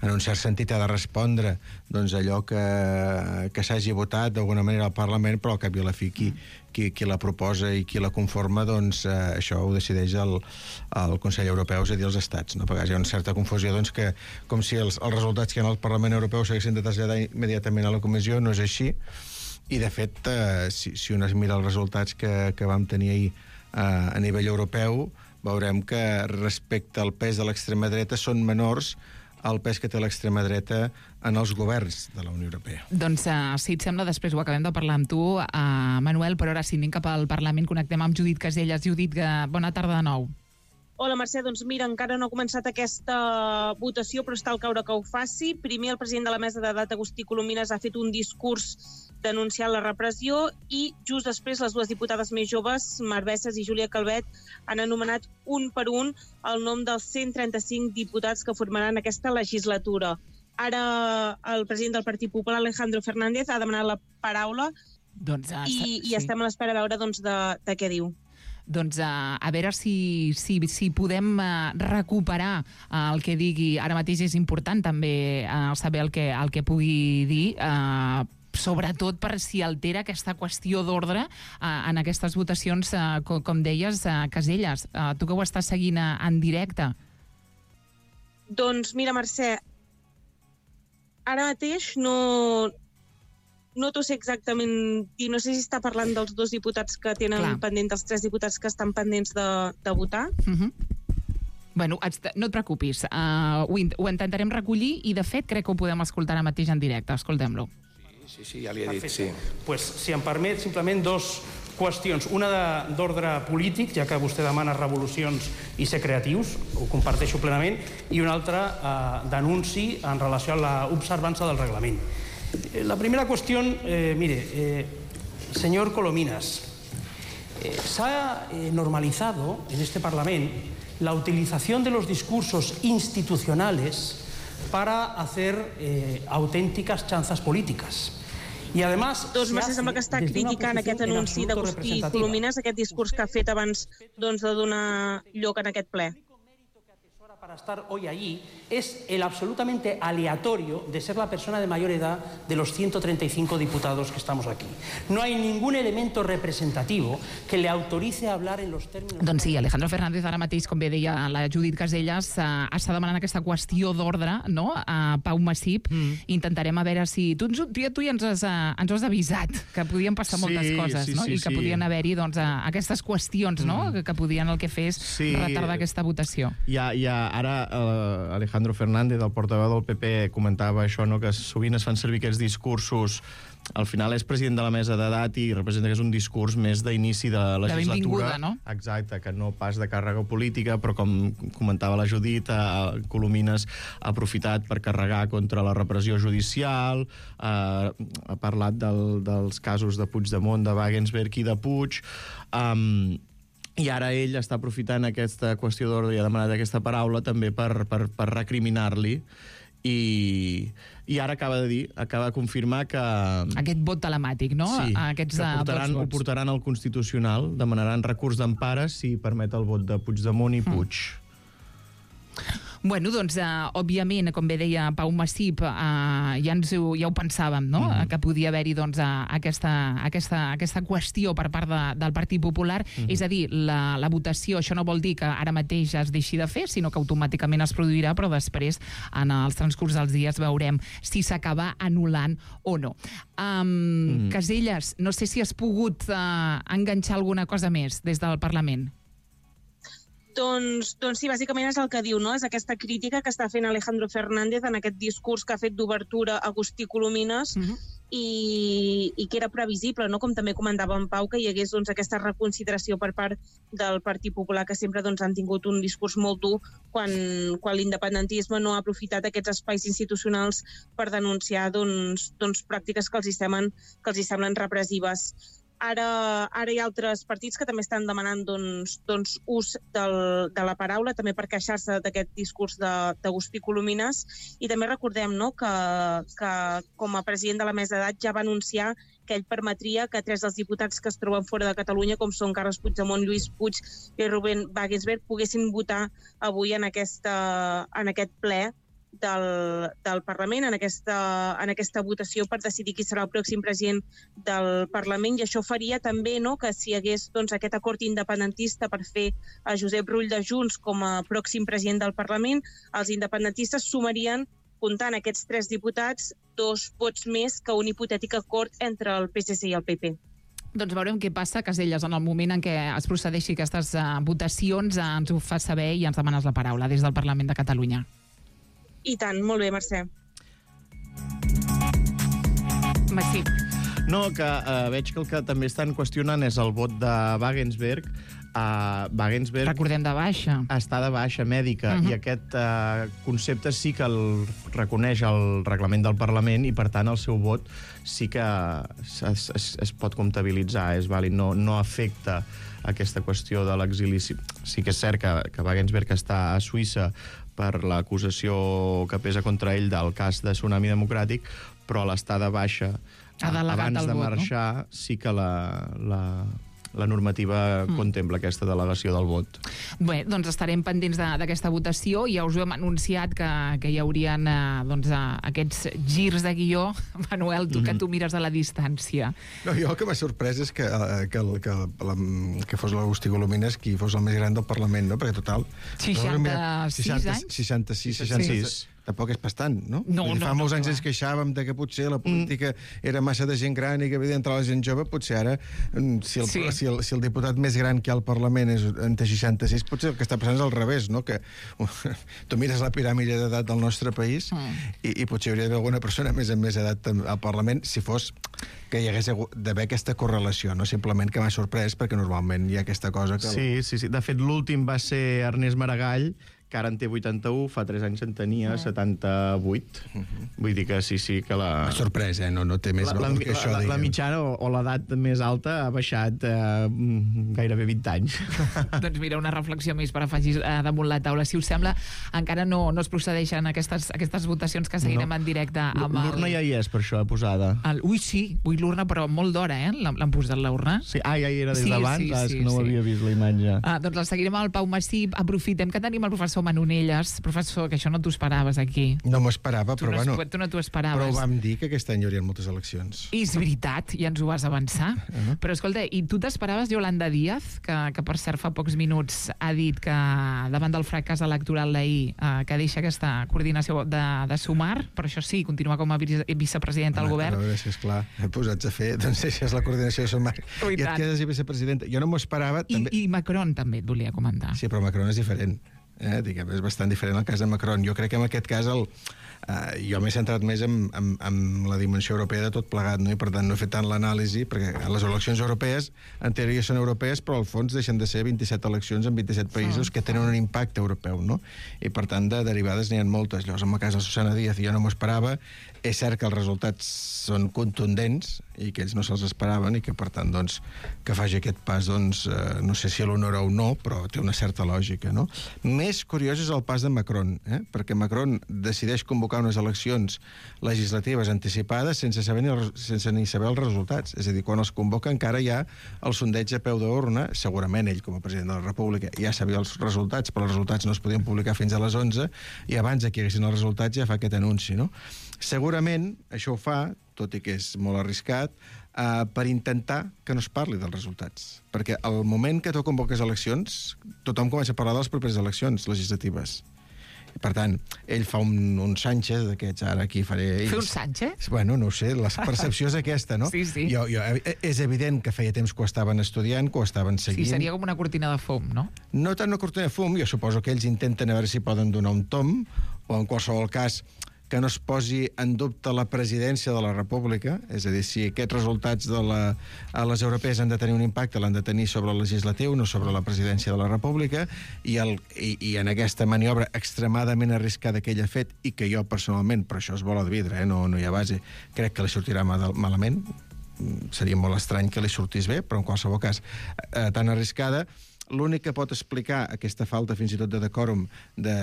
en un cert sentit, ha de respondre doncs, allò que, que s'hagi votat d'alguna manera al Parlament, però al cap i a la fi qui, qui, qui la proposa i qui la conforma, doncs eh, això ho decideix el, el Consell Europeu, és a dir, els estats. No? A vegades hi ha una certa confusió, doncs, que com si els, els resultats que hi ha al Parlament Europeu s'haguessin de traslladar immediatament a la Comissió, no és així. I, de fet, eh, si, si un es mira els resultats que, que vam tenir ahir eh, a nivell europeu, veurem que respecte al pes de l'extrema dreta són menors al pes que té l'extrema dreta en els governs de la Unió Europea. Doncs, uh, si et sembla, després ho acabem de parlar amb tu, uh, Manuel, però ara si anem cap al Parlament, connectem amb Judit Casellas. Judit, uh, bona tarda de nou. Hola, Mercè. Doncs mira, encara no ha començat aquesta votació, però està al caure que ho faci. Primer, el president de la mesa d'edat, Agustí Colomines, ha fet un discurs denunciant la repressió i just després les dues diputades més joves, Mar Bessas i Júlia Calvet, han anomenat un per un el nom dels cent trenta-cinc diputats que formaran aquesta legislatura. Ara el president del Partit Popular, Alejandro Fernández, ha demanat la paraula doncs, uh, i, sí. i estem a l'espera de veure doncs, de, de què diu. Doncs uh, a veure si, si, si podem uh, recuperar uh, el que digui. Ara mateix és important també uh, saber el que, el que pugui dir, uh, sobretot per si altera aquesta qüestió d'ordre uh, en aquestes votacions, uh, com, com deies, uh, Casellas. Uh, tu que ho estàs seguint uh, en directe. Doncs mira, Mercè, ara mateix no... No t'ho sé exactament dir, no sé si està parlant dels dos diputats que tenen Clar. pendent, dels tres diputats que estan pendents de, de votar. Uh-huh. Bueno, no et preocupis, uh, ho, ho intentarem recollir i, de fet, crec que ho podem escoltar ara mateix en directe. Escoltem-lo. Sí, sí, sí, ja li he dit, sí. Pues, si em permet, simplement dos qüestions. Una d'ordre polític, ja que vostè demana revolucions i ser creatius, ho comparteixo plenament, i una altra uh, d'anunci en relació a l'observança del reglament. La primera cuestión, eh, mire, eh, señor Colomines, eh, se ha eh, normalizado en este Parlamento la utilización de los discursos institucionales para hacer eh, auténticas chanzas políticas. I, además, doncs Mercè, sembla que està criticant aquest anunci d'Agustí Colomines, aquest discurs que ha fet abans doncs, de donar lloc en aquest ple. Para estar hoy allí es el absolutamente aleatorio de ser la persona de mayor edad de los ciento treinta y cinco diputados que estamos aquí. No hay ningún elemento representativo que le autorice a hablar en los términos... Doncs sí, Alejandro Fernández, ara mateix, com bé deia la Judit Casellas, uh, està demanant aquesta qüestió d'ordre, no?, a Pau Massip. Mm. Intentarem a veure si... Tu, tu, tu ja ens has, uh, ens has avisat que podien passar sí, moltes coses, sí, no?, sí, i que sí. podien haver-hi, doncs, uh, aquestes qüestions, no?, mm. que, que podien el que fes sí. retardar aquesta votació. Ja, ja, ara uh, Alejandro Fernández, el portaveu del P P, comentava això, no?, que sovint es fan servir aquests discursos. Al final és president de la mesa d'edat i representa que és un discurs més d'inici de legislatura. De benvinguda, no? Exacte, que no pas de càrrega política, però com comentava la Judit, eh, Colomines ha aprofitat per carregar contra la repressió judicial, eh, ha parlat del, dels casos de Puigdemont, de Wagensberg i de Puig... Um, I ara ell està aprofitant aquesta qüestió d'ordre i ha demanat aquesta paraula també per, per, per recriminar-li. I, I ara acaba de dir, acaba de confirmar que... Aquest vot telemàtic, no? Sí, Aquests, que portaran, ho portaran al Constitucional, demanaran recurs d'empara si permet el vot de Puigdemont i Puig. Mm. Bueno, doncs, uh, òbviament, com bé deia Pau Massip, uh, ja, ens ho, ja ho pensàvem, no?, mm-hmm. que podia haver-hi doncs, uh, aquesta, aquesta, aquesta qüestió per part de, del Partit Popular. Mm-hmm. És a dir, la, la votació, això no vol dir que ara mateix es deixi de fer, sinó que automàticament es produirà, però després, en els transcurs dels dies, veurem si s'acaba anul·lant o no. Um, mm-hmm. Casellas, no sé si has pogut uh, enganxar alguna cosa més des del Parlament. Doncs, doncs sí, bàsicament és el que diu, no? És aquesta crítica que està fent Alejandro Fernández en aquest discurs que ha fet d'obertura Agustí Colomines, uh-huh. i, i que era previsible, no? Com també comentava en Pau, que hi hagués doncs, aquesta reconsideració per part del Partit Popular, que sempre doncs, han tingut un discurs molt dur quan, quan l'independentisme no ha aprofitat aquests espais institucionals per denunciar doncs, doncs, pràctiques que els hi semblen, que els hi semblen repressives. Ara, ara hi ha altres partits que també estan demanant doncs, doncs, ús del, de la paraula, també per queixar-se d'aquest discurs d'Agustí Colomines. I també recordem, no?, que, que com a president de la mesa d'edat ja va anunciar que ell permetria que tres dels diputats que es troben fora de Catalunya, com són Carles Puigdemont, Lluís Puig i Rubén Wagensberg, poguessin votar avui en, aquesta, en aquest ple del, del Parlament, en aquesta, en aquesta votació per decidir qui serà el pròxim president del Parlament, i això faria també, no?, que si hi hagués doncs, aquest acord independentista per fer a Josep Rull de Junts com a pròxim president del Parlament, els independentistes sumarien, comptant aquests tres diputats, dos vots més que un hipotètic acord entre el P S C i el P P. Doncs veurem què passa, Casellas, en el moment en què es procedeixi aquestes uh, votacions, uh, ens ho fa saber i ens demanes la paraula des del Parlament de Catalunya. I tant, molt bé, Mercè. Massip. No, que uh, veig que el que també estan qüestionant és el vot de Wagensberg. Uh, Wagensberg... Recordem de baixa. Està de baixa mèdica, uh-huh. i aquest uh, concepte sí que el reconeix el reglament del Parlament i, per tant, el seu vot sí que es, es, es pot comptabilitzar, és vàlid, no, no afecta aquesta qüestió de l'exili. Sí, sí que és cert que, que Wagensberg està a Suïssa per l'acusació que pesa contra ell del cas de Tsunami Democràtic, però a l'estar de baixa, abans de vot, marxar, no? Sí que la... la la normativa mm. contempla aquesta delegació del vot. Bé, doncs estarem pendents d'aquesta votació. Ja us ho hem anunciat que, que hi haurien eh, doncs, eh, aquests girs de guió. Manuel, tu mm-hmm. que tu mires a la distància. No, jo el que m'ha sorprès és que, eh, que, el, que, la, que fos l'Agustí Colomines qui fos el més gran del Parlament, no? Perquè total... seixanta-sis anys? seixanta-sis, seixanta-sis. Sí. Tampoc és bastant, no? No, dir, no, fa no, molts no, anys no. ens queixàvem de que potser la política mm. era massa de gent gran i que havia d'entrar la gent jove. Potser ara, si el, sí. si, el, si el diputat més gran que hi ha al Parlament és entre seixanta-sis, potser el que està passant és al revés, no? Que tu mires la piràmide d'edat del nostre país mm. i, i potser hi hauria d'haver alguna persona més en més edat al Parlament si fos que hi hagués d'haver aquesta correlació, no simplement que m'ha sorprès, perquè normalment hi ha aquesta cosa que... Sí, sí, sí. De fet, l'últim va ser Ernest Maragall, que ara en té vuitanta-u, fa tres anys en tenia mm. setanta-vuit. Mm-hmm. Vull dir que sí, sí, que la... M'ha sorprès, eh? No, no té més valor que això. La, la, la mitjana o, o l'edat més alta ha baixat eh, gairebé vint anys. Doncs mira, una reflexió més per afegir eh, damunt la taula. Si us sembla, encara no, no es procedeixen aquestes, aquestes votacions que seguirem no. en directe amb el... L'urna ja hi és, per això, posada. El... Ui, sí, ui, l'urna, però molt d'hora, eh? L'han posat l'urna. Sí, ah, ja hi era des sí, d'abans, sí, ah, sí, és que no sí. ho havia vist, la imatge. Ah, doncs la seguirem amb el Pau Massip. Aprofitem que tenim el professor Manonelles. Professor, que això no t'ho esperaves aquí. No m'ho esperava, tu però no, bueno... Tu no t'ho esperaves. Però vam dir que aquest any hi haurien moltes eleccions. I és veritat, ja ens ho vas avançar. Uh-huh. Però escolta, i tu t'esperaves Yolanda Díaz, que, que per cert fa pocs minuts ha dit que davant del fracàs electoral d'ahir, eh, que deixa aquesta coordinació de, de Sumar, però això sí, continua com a vicepresidenta del govern. A veure si és clar, posats a fer, doncs deixes la coordinació de Sumar i et quedes i vicepresidenta. Jo no m'ho esperava. I, també... I Macron també et volia comentar. Sí, però Macron és diferent. Eh, diguem, és bastant diferent el cas de Macron. Jo crec que en aquest cas el, eh, jo m'he centrat més en, en, en la dimensió europea de tot plegat, no? I per tant no he fet tant l'anàlisi, perquè les eleccions europees en teoria són europees, però al fons deixen de ser vint-i-set eleccions en vint-i-set països que tenen un impacte europeu, no? I per tant de derivades n'hi ha moltes. Llavors en el cas de Susana Díaz jo no m'ho esperava. És cert que els resultats són contundents i que ells no se'ls esperaven i que per tant doncs, que faci aquest pas doncs, eh, no sé si l'honora o no, però té una certa lògica, no? Més curiós és el pas de Macron, eh? Perquè Macron decideix convocar convocar unes eleccions legislatives anticipades sense saber ni, el, sense ni saber els resultats. És a dir, quan els convoca encara hi ha el sondeig a peu d'urna, segurament ell com a president de la República ja sabia els resultats, però els resultats no es podien publicar fins a les onze, i abans que hi haguessin els resultats ja fa aquest anunci, no? Segurament això ho fa, tot i que és molt arriscat, Uh, per intentar que no es parli dels resultats. Perquè al moment que tu convoques eleccions, tothom comença a parlar de les properes eleccions legislatives. I, per tant, ell fa un, un Sánchez d'aquests, ara aquí faré... Fer un Sánchez? Bueno, no ho sé, la percepció és aquesta, no? Sí, sí. Jo, jo, és evident que feia temps que ho estaven estudiant, que ho estaven seguint. Sí, seria com una cortina de fum, no? No tant una cortina de fum, jo suposo que ells intenten a veure si poden donar un tom, o en qualsevol cas que no es posi en dubte la presidència de la República, és a dir, si aquests resultats de la, a les europees han de tenir un impacte, l'han de tenir sobre el legislatiu, no sobre la presidència de la República, i, el, i, i en aquesta maniobra extremadament arriscada que ell ha fet, i que jo personalment, però això és bola de vidre, eh, no, no hi ha base, crec que li sortirà malament, seria molt estrany que li sortís bé, però en qualsevol cas, eh, tan arriscada, l'únic que pot explicar aquesta falta fins i tot de decòrum de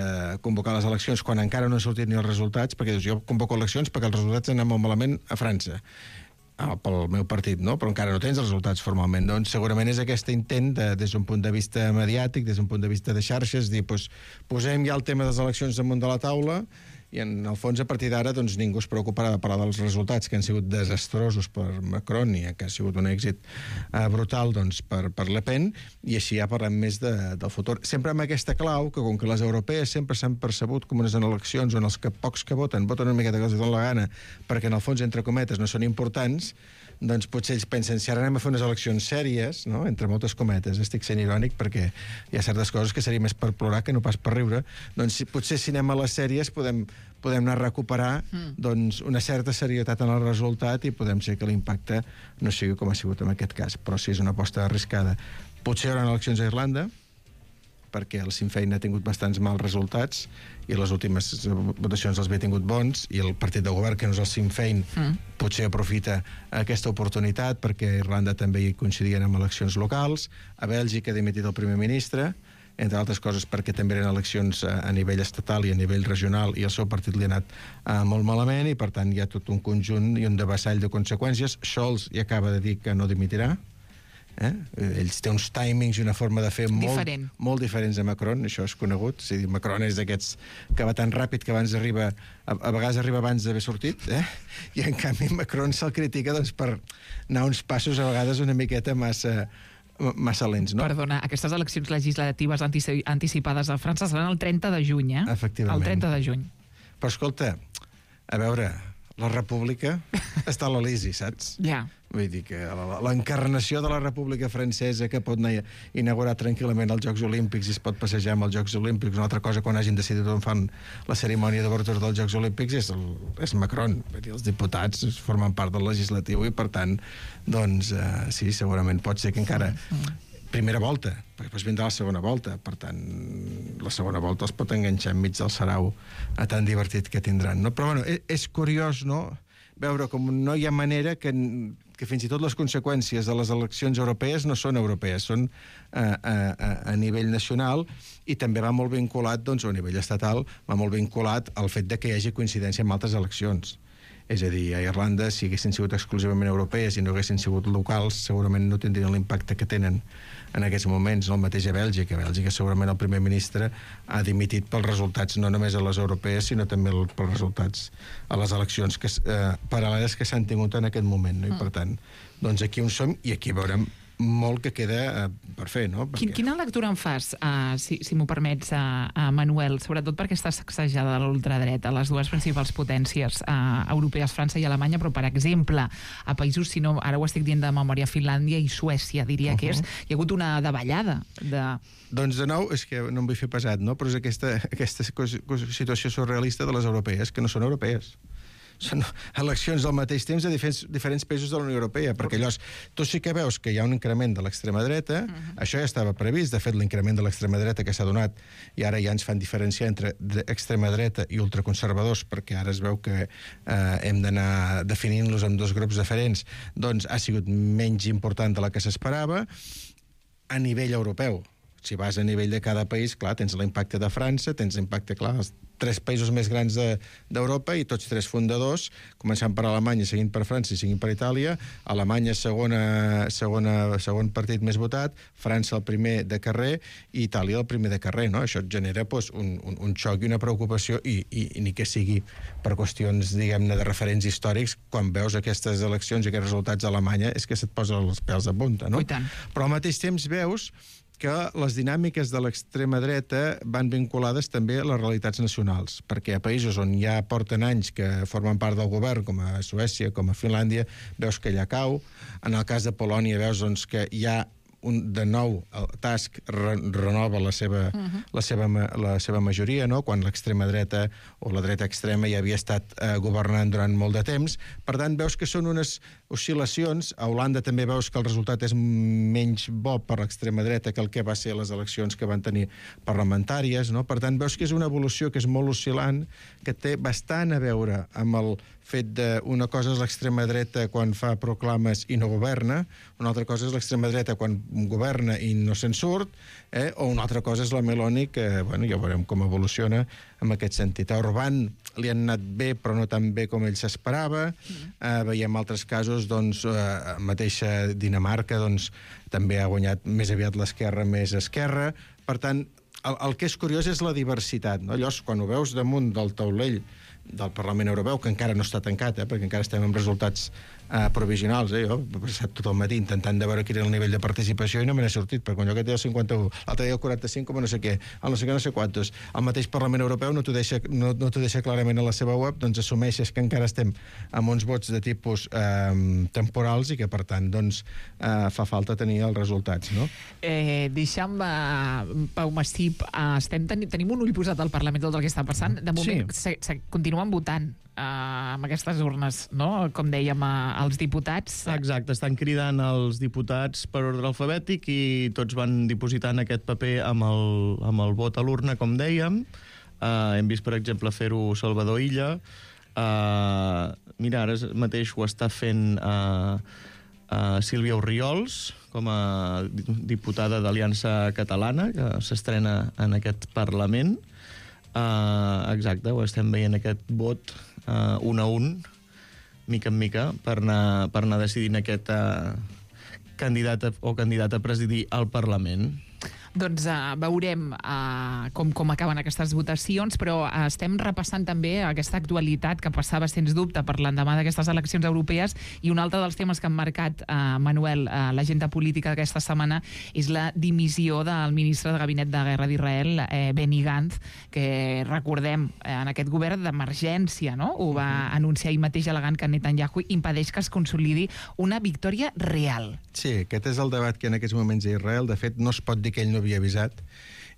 convocar les eleccions quan encara no han sortit ni els resultats, perquè dius, jo convoco eleccions perquè els resultats han anat molt malament a França, ah, pel meu partit, no? Però encara no tens els resultats formalment. Doncs segurament és aquest intent de, des d'un punt de vista mediàtic, des d'un punt de vista de xarxes, dir, doncs, posem ja el tema de les eleccions damunt de la taula, i en el fons, a partir d'ara, doncs, ningú es preocuparà de parlar dels resultats que han sigut desastrosos per Macron i que ha sigut un èxit uh, brutal doncs, per, per Le Pen, i així ja parlem més de, del futur. Sempre amb aquesta clau, que com que les europees sempre s'han percebut com unes eleccions on els que pocs que voten, voten una miqueta que els donen la gana, perquè en el fons, entre cometes, no són importants, doncs potser ells pensen, si ara anem a fer unes eleccions sèries, no? Entre moltes cometes, estic sent irònic perquè hi ha certes coses que seria més per plorar que no pas per riure, doncs si, potser si anem a les sèries podem, podem anar a recuperar mm. doncs, una certa serietat en el resultat i podem ser que l'impacte no sigui com ha sigut en aquest cas, però sí és una aposta arriscada. Potser hi haurà eleccions a Irlanda, perquè el Sinn Féin ha tingut bastants mals resultats i les últimes votacions els havia tingut bons, i el partit de govern, que no és el Sinn Féin, mm. potser aprofita aquesta oportunitat perquè a Irlanda també hi coincidien amb eleccions locals. A Bèlgica ha dimitit el primer ministre, entre altres coses perquè també eren eleccions a, a nivell estatal i a nivell regional, i el seu partit li ha anat uh, molt malament, i per tant hi ha tot un conjunt i un devassall de conseqüències. Scholz ja acaba de dir que no dimitirà. Eh? Ells té uns timings i una forma de fer molt, Diferent. molt diferents a Macron, això és conegut. O sigui, Macron és d'aquests que va tan ràpid que abans arriba, a, a vegades arriba abans d'haver sortit, eh? I en canvi Macron se'l critica doncs, per anar uns passos a vegades una miqueta massa, massa lents, no? Perdona, aquestes eleccions legislatives antici anticipades a França seran el trenta de juny, eh? Efectivament. El trenta de juny. Però escolta, a veure, la república està a l'Elisi, saps? Ja. Vull dir que l'encarnació de la República Francesa, que pot anar a inaugurar tranquil·lament els Jocs Olímpics i es pot passejar amb els Jocs Olímpics, una altra cosa quan hagin decidit on fan la cerimònia d'obertura dels Jocs Olímpics, és, el, és Macron. Vull dir, els diputats formen part del legislatiu i, per tant, doncs, eh, sí, segurament pot ser que encara... Primera volta, perquè després vindrà la segona volta, per tant, la segona volta els pot enganxar enmig del sarau tan divertit que tindran, no? Però, bueno, és, és curiós, no?, veure com no hi ha manera que, que fins i tot les conseqüències de les eleccions europees no són europees, són a, a, a nivell nacional, i també va molt vinculat, doncs, a nivell estatal, va molt vinculat al fet de que hi hagi coincidència amb altres eleccions. És a dir, a Irlanda, si haguessin sigut exclusivament europees i no haguessin sigut locals, segurament no tindrien l'impacte que tenen en aquests moments. No? El mateix a Bèlgica. A Bèlgica segurament el primer ministre ha dimitit pels resultats no només a les europees, sinó també pels resultats a les eleccions que, eh, paral·leles que s'han tingut en aquest moment. No? I, per tant, doncs aquí on som, i aquí veurem molt que queda uh, per fer, no? Perquè... Quin, quina lectura en fas, uh, si, si m'ho permets, uh, uh, Manuel, sobretot perquè està sacsejada l'ultradreta, les dues principals potències uh, europees, França i Alemanya, però, per exemple, a països, si no, ara ho estic dient de memòria, Finlàndia i Suècia, diria uh -huh. que és, hi ha hagut una davallada de... Doncs, de nou, és que no em vull fer pesat, no? Però és aquesta, aquesta situació surrealista de les europees, que no són europees. Són eleccions al mateix temps a diferents, diferents països de la Unió Europea, perquè llavors tu sí que veus que hi ha un increment de l'extrema dreta, uh -huh. Això ja estava previst, de fet l'increment de l'extrema dreta que s'ha donat, i ara ja ens fan diferenciar entre extrema dreta i ultraconservadors, perquè ara es veu que eh, hem d'anar definint-los en dos grups diferents, doncs ha sigut menys important de la que s'esperava a nivell europeu. Si vas a nivell de cada país, clar, tens l'impacte de França, tens l'impacte, clar, tres països més grans d'Europa i tots tres fundadors, començant per Alemanya, seguint per França i seguint per Itàlia. Alemanya segona, segona, segon partit més votat, França el primer de carrer i Itàlia el primer de carrer, no? Això et genera doncs, un, un, un xoc i una preocupació i, i, i ni que sigui per qüestions, diguem-ne, de referents històrics, quan veus aquestes eleccions i aquests resultats a Alemanya és que se't posa els pèls de punta, no? Però al mateix temps veus que les dinàmiques de l'extrema dreta van vinculades també a les realitats nacionals, perquè a països on ja porten anys que formen part del govern, com a Suècia, com a Finlàndia, veus que allà cau. En el cas de Polònia veus doncs, que hi ha un, de nou, el Tusk re, renova la seva, uh-huh. la, seva, la seva majoria, no? Quan l'extrema dreta o la dreta extrema ja havia estat eh, governant durant molt de temps. Per tant, veus que són unes oscil·lacions. A Holanda també veus que el resultat és menys bo per l'extrema dreta que el que va ser les eleccions que van tenir parlamentàries, no? Per tant, veus que és una evolució que és molt oscil·lant, que té bastant a veure amb el fet d'una cosa és l'extrema dreta quan fa proclames i no governa, una altra cosa és l'extrema dreta quan governa i no se'n surt, eh? O una altra cosa és la Meloni, que bueno, ja veurem com evoluciona en aquest sentit. A Orbán li han anat bé, però no tan bé com ell s'esperava. Mm. Eh, veiem altres casos, doncs, eh, mateixa Dinamarca, doncs, també ha guanyat més aviat l'esquerra, més esquerra. Per tant, el, el que és curiós és la diversitat, no? Llavors, quan ho veus damunt del taulell del Parlament Europeu, que encara no està tancat, eh, perquè encara estem amb resultats eh, provisionals. Eh? Jo he passat tot el matí intentant de veure quin era el nivell de participació i no me n'he sortit, perquè allò que té el cinquanta-u, l'altre dia el quaranta-cinc, com no sé què, el no sé què, no sé quantos. El mateix Parlament Europeu no t'ho deixa, no, no t'ho deixa clarament a la seva web, doncs assumeixes que encara estem amb uns vots de tipus eh, temporals i que, per tant, doncs, eh, fa falta tenir els resultats, no? Eh, deixa'm, uh, Pau Massip, uh, estem ten tenim un ull posat al Parlament tot el que està passant. De moment, sí. se, se, continuen votant uh, amb aquestes urnes, no? Com dèiem, uh, els diputats. Exacte, estan cridant els diputats per ordre alfabètic i tots van dipositant aquest paper amb el, amb el vot a l'urna, com dèiem. Uh, hem vist, per exemple, fer-ho Salvador Illa. Uh, mira, ara mateix ho està fent uh, uh, Sílvia Orriols, com a diputada d'Aliança Catalana, que s'estrena en aquest Parlament. Uh, exacte, ho estem veient, aquest vot uh, un a un, mica en mica, per anar, per anar decidint aquest uh, candidat a, o candidat a presidir el Parlament. Doncs uh, veurem uh, com, com acaben aquestes votacions, però uh, estem repassant també aquesta actualitat que passava, sens dubte, per l'endemà d'aquestes eleccions europees, i un altre dels temes que han marcat, uh, Manuel, uh, l'agenda política d'aquesta setmana és la dimissió del ministre de Gabinet de Guerra d'Israel, eh, Benny Gantz, que recordem, eh, en aquest govern d'emergència, no? Ho va uh-huh. anunciar ahir mateix al·legant que Netanyahu impedeix que es consolidi una victòria real. Sí, aquest és el debat que en aquests moments a Israel, de fet, no es pot dir que ell no havia avisat.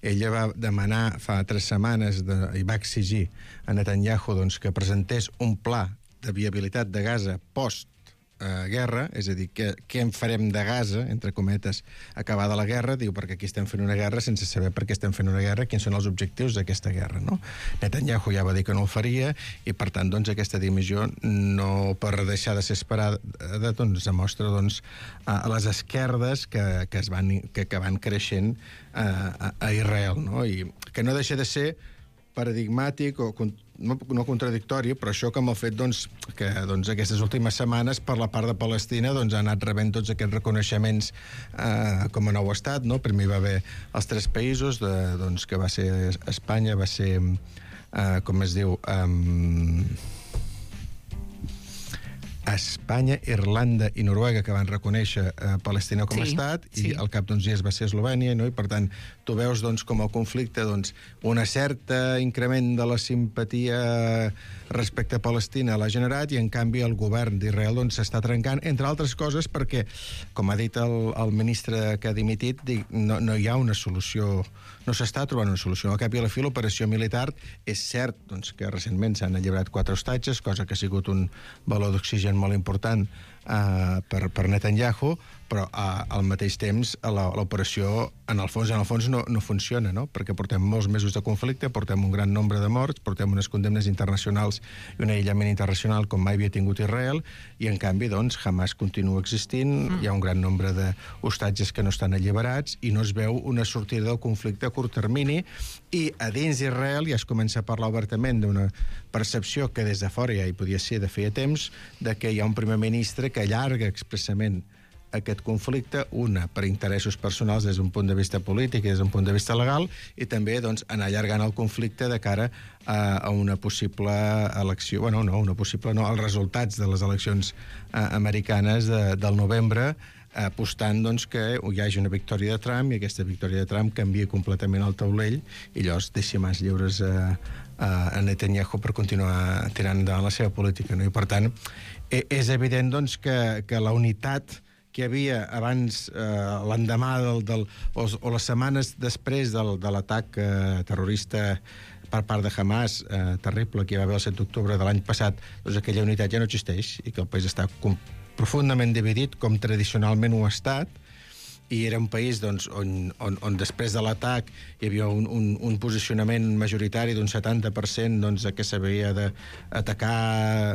Ella va demanar fa tres setmanes de, i va exigir a Netanyahu doncs, que presentés un pla de viabilitat de Gaza post eh, guerra, és a dir, que, què en farem de Gaza, entre cometes, acabada la guerra. Diu, perquè aquí estem fent una guerra sense saber per què estem fent una guerra, quins són els objectius d'aquesta guerra, no? Netanyahu ja va dir que no el faria i, per tant, doncs, aquesta dimissió, no per deixar de ser esperada, doncs, demostra doncs, a les esquerdes que, que, es van, que, que van creixent a, a Israel, no? I que no deixa de ser paradigmàtic o no, no contradictori, però això com el fet doncs, que doncs, aquestes últimes setmanes per la part de Palestina doncs, ha anat rebent tots aquests reconeixements eh, com a nou estat, no? Primer va haver els tres països, de, doncs, que va ser Espanya, va ser, eh, com es diu, eh, Espanya, Irlanda i Noruega, que van reconèixer eh, Palestina com a sí, estat, i sí. al cap d'uns dies va ser Eslovènia, no? I per tant, tu veus doncs, com el conflicte, doncs, una certa increment de la simpatia respecte a Palestina l'ha generat, i en canvi el govern d'Israel doncs, s'està trencant, entre altres coses perquè, com ha dit el, el ministre que ha dimitit, dic, no, no hi ha una solució, no s'està trobant una solució. Al cap i a la fi, l'operació militar és cert doncs, que recentment s'han alliberat quatre hostatges, cosa que ha sigut un valor d'oxigen molt important uh, per, per Netanyahu, però uh, al mateix temps la- l'operació, en el fons, en el fons no, no funciona, no? Perquè portem molts mesos de conflicte, portem un gran nombre de morts, portem unes condemnes internacionals i un aïllament internacional com mai havia tingut Israel, i en canvi, doncs, Hamas continua existint, mm. hi ha un gran nombre d'hostatges que no estan alliberats i no es veu una sortida del conflicte a curt termini, i a dins d'Israel ja es comença a parlar obertament d'una percepció que des de fora ja hi podia ser de feia temps, de que hi ha un primer ministre que allarga expressament aquest conflicte, una, per interessos personals des d'un punt de vista polític i des d'un punt de vista legal, i també doncs, anar allargant el conflicte de cara a, a una possible elecció, bueno, no, una possible no, als resultats de les eleccions eh, americanes de, del novembre, apostant doncs, que hi hagi una victòria de Trump i aquesta victòria de Trump canvia completament el taulell i llavors deixi mans lliures a, a, a Netanyahu per continuar tirant endavant la seva política. No? I, per tant, e- és evident doncs, que, que la unitat que hi havia abans, eh, l'endemà del, del, o, o les setmanes després del, de l'atac eh, terrorista per part de Hamas, eh, terrible, que hi va haver el set d'octubre de l'any passat, doncs aquella unitat ja no existeix i que el país està com, profundament dividit, com tradicionalment ho ha estat, i era un país doncs, on, on, on després de l'atac hi havia un, un, un posicionament majoritari d'un setanta per cent doncs, que s'havia d'atacar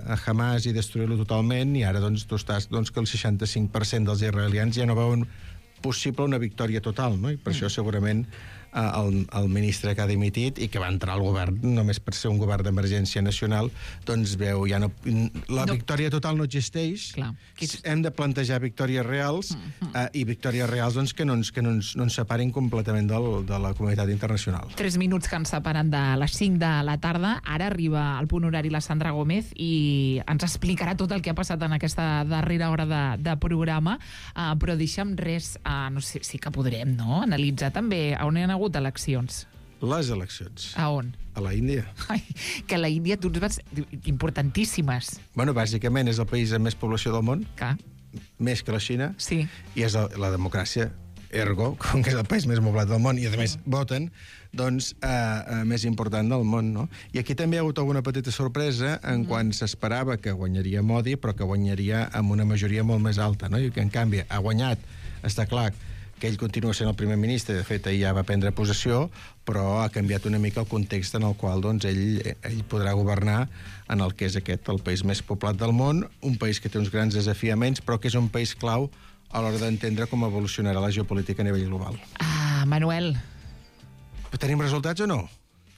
a Hamas i destruir-lo totalment, i ara doncs, tu estàs doncs, que el seixanta-cinc per cent dels israelians ja no veuen possible una victòria total, no? I per mm. això segurament eh, el, el ministre que ha dimitit i que va entrar al govern només per ser un govern d'emergència nacional, doncs veu, ja no, la no. victòria total no existeix. Clar. Hem de plantejar victòries reals mm-hmm. eh, i victòries reals doncs, que, no ens, que no, ens, no ens separin completament del, de la comunitat internacional. Tres minuts que ens separen de les cinc de la tarda. Ara arriba al punt horari la Sandra Gómez i ens explicarà tot el que ha passat en aquesta darrera hora de, de programa, uh, però deixa'm res, uh, no sé, sí que podrem, no?, analitzar també on hi ha hagut eleccions. Les eleccions. A on? A la Índia. Ai, que a la Índia tu ens vas... importantíssimes. Bueno, bàsicament és el país amb més població del món. Que? Més que la Xina. Sí. I és la, la democràcia, ergo, com que és el país més poblat del món i, a més, voten, doncs, eh, eh, més important del món, no? I aquí també hi ha hagut alguna petita sorpresa en mm. quan s'esperava que guanyaria Modi, però que guanyaria amb una majoria molt més alta, no? I que, en canvi, ha guanyat, està clar, que ell continua sent el primer ministre, de fet, ell ja va prendre possessió, però ha canviat una mica el context en el qual doncs, ell, ell podrà governar en el que és aquest, el país més poblat del món, un país que té uns grans desafiaments, però que és un país clau a l'hora d'entendre com evolucionarà la geopolítica a nivell global. Ah, Manuel. Tenim resultats o no?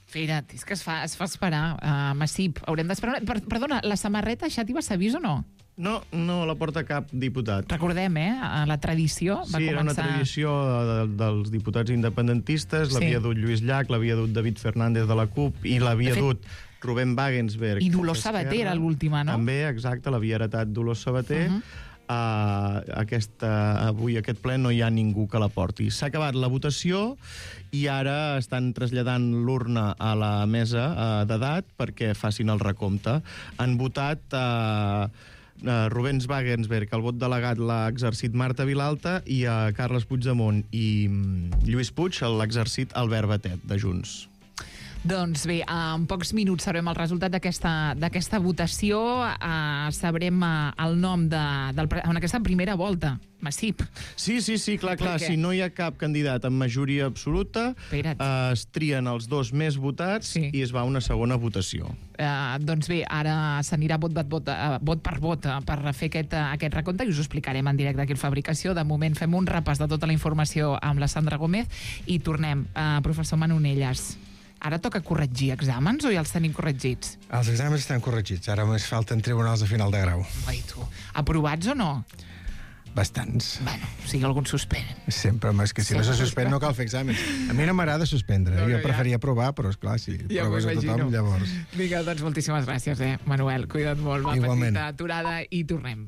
Espera't, és que es fa, es fa esperar. Uh, Massip, haurem d'esperar... Per, perdona, la samarreta Xàtiva s'ha vist o no? No, no la porta cap diputat. Recordem, eh? La tradició va sí, començar... era una tradició de, dels diputats independentistes, Sí. l'havia dut Lluís Llach, l'havia dut David Fernández de la CUP i l'havia De fet- dut Rubén Wagensberg. I Dolors d'Esquerra. Sabater era l'última, no? També, exacte, l'havia heretat Dolors Sabater. Uh-huh. Uh, aquesta, avui aquest ple no hi ha ningú que la porti. S'ha acabat la votació i ara estan traslladant l'urna a la mesa uh, d'edat perquè facin el recompte. Han votat uh, uh, Rubens Wagensberg, el vot delegat l'ha exercit Marta Vilalta, i a uh, Carles Puigdemont i um, Lluís Puig l'ha exercit Albert Batet, de Junts. Doncs bé, en pocs minuts sabrem el resultat d'aquesta d'aquesta votació, eh, sabrem eh, el nom de, del, en aquesta primera volta, Massip. Sí, sí, sí, clar, clar. Si no hi ha cap candidat amb majoria absoluta, eh, es trien els dos més votats sí. i es va a una segona votació. Eh, doncs bé, ara s'anirà vot, vot, vot, eh, vot per vot eh, per fer aquest, eh, aquest recompte i us ho explicarem en directe aquí al Fabricació. De moment fem un repàs de tota la informació amb la Sandra Gómez i tornem. Eh, professor Manonelles, ara toca corregir exàmens o ja els tenim corregits? Els exàmens estan corregits. Ara només falten tribunals de final de grau. Ai, tu. Aprovats o no? Bastants. Bueno, o sigui, alguns suspenen. Sempre, home, és que si Sempre no se suspèn no cal fer exàmens. A mi no m'agrada suspendre. No, no, jo ja. preferia provar, però, esclar, si Ja proves a tothom, llavors... Vinga, doncs moltíssimes gràcies, eh, Manuel. Cuida't molt. Va, Igualment. petita aturada i tornem.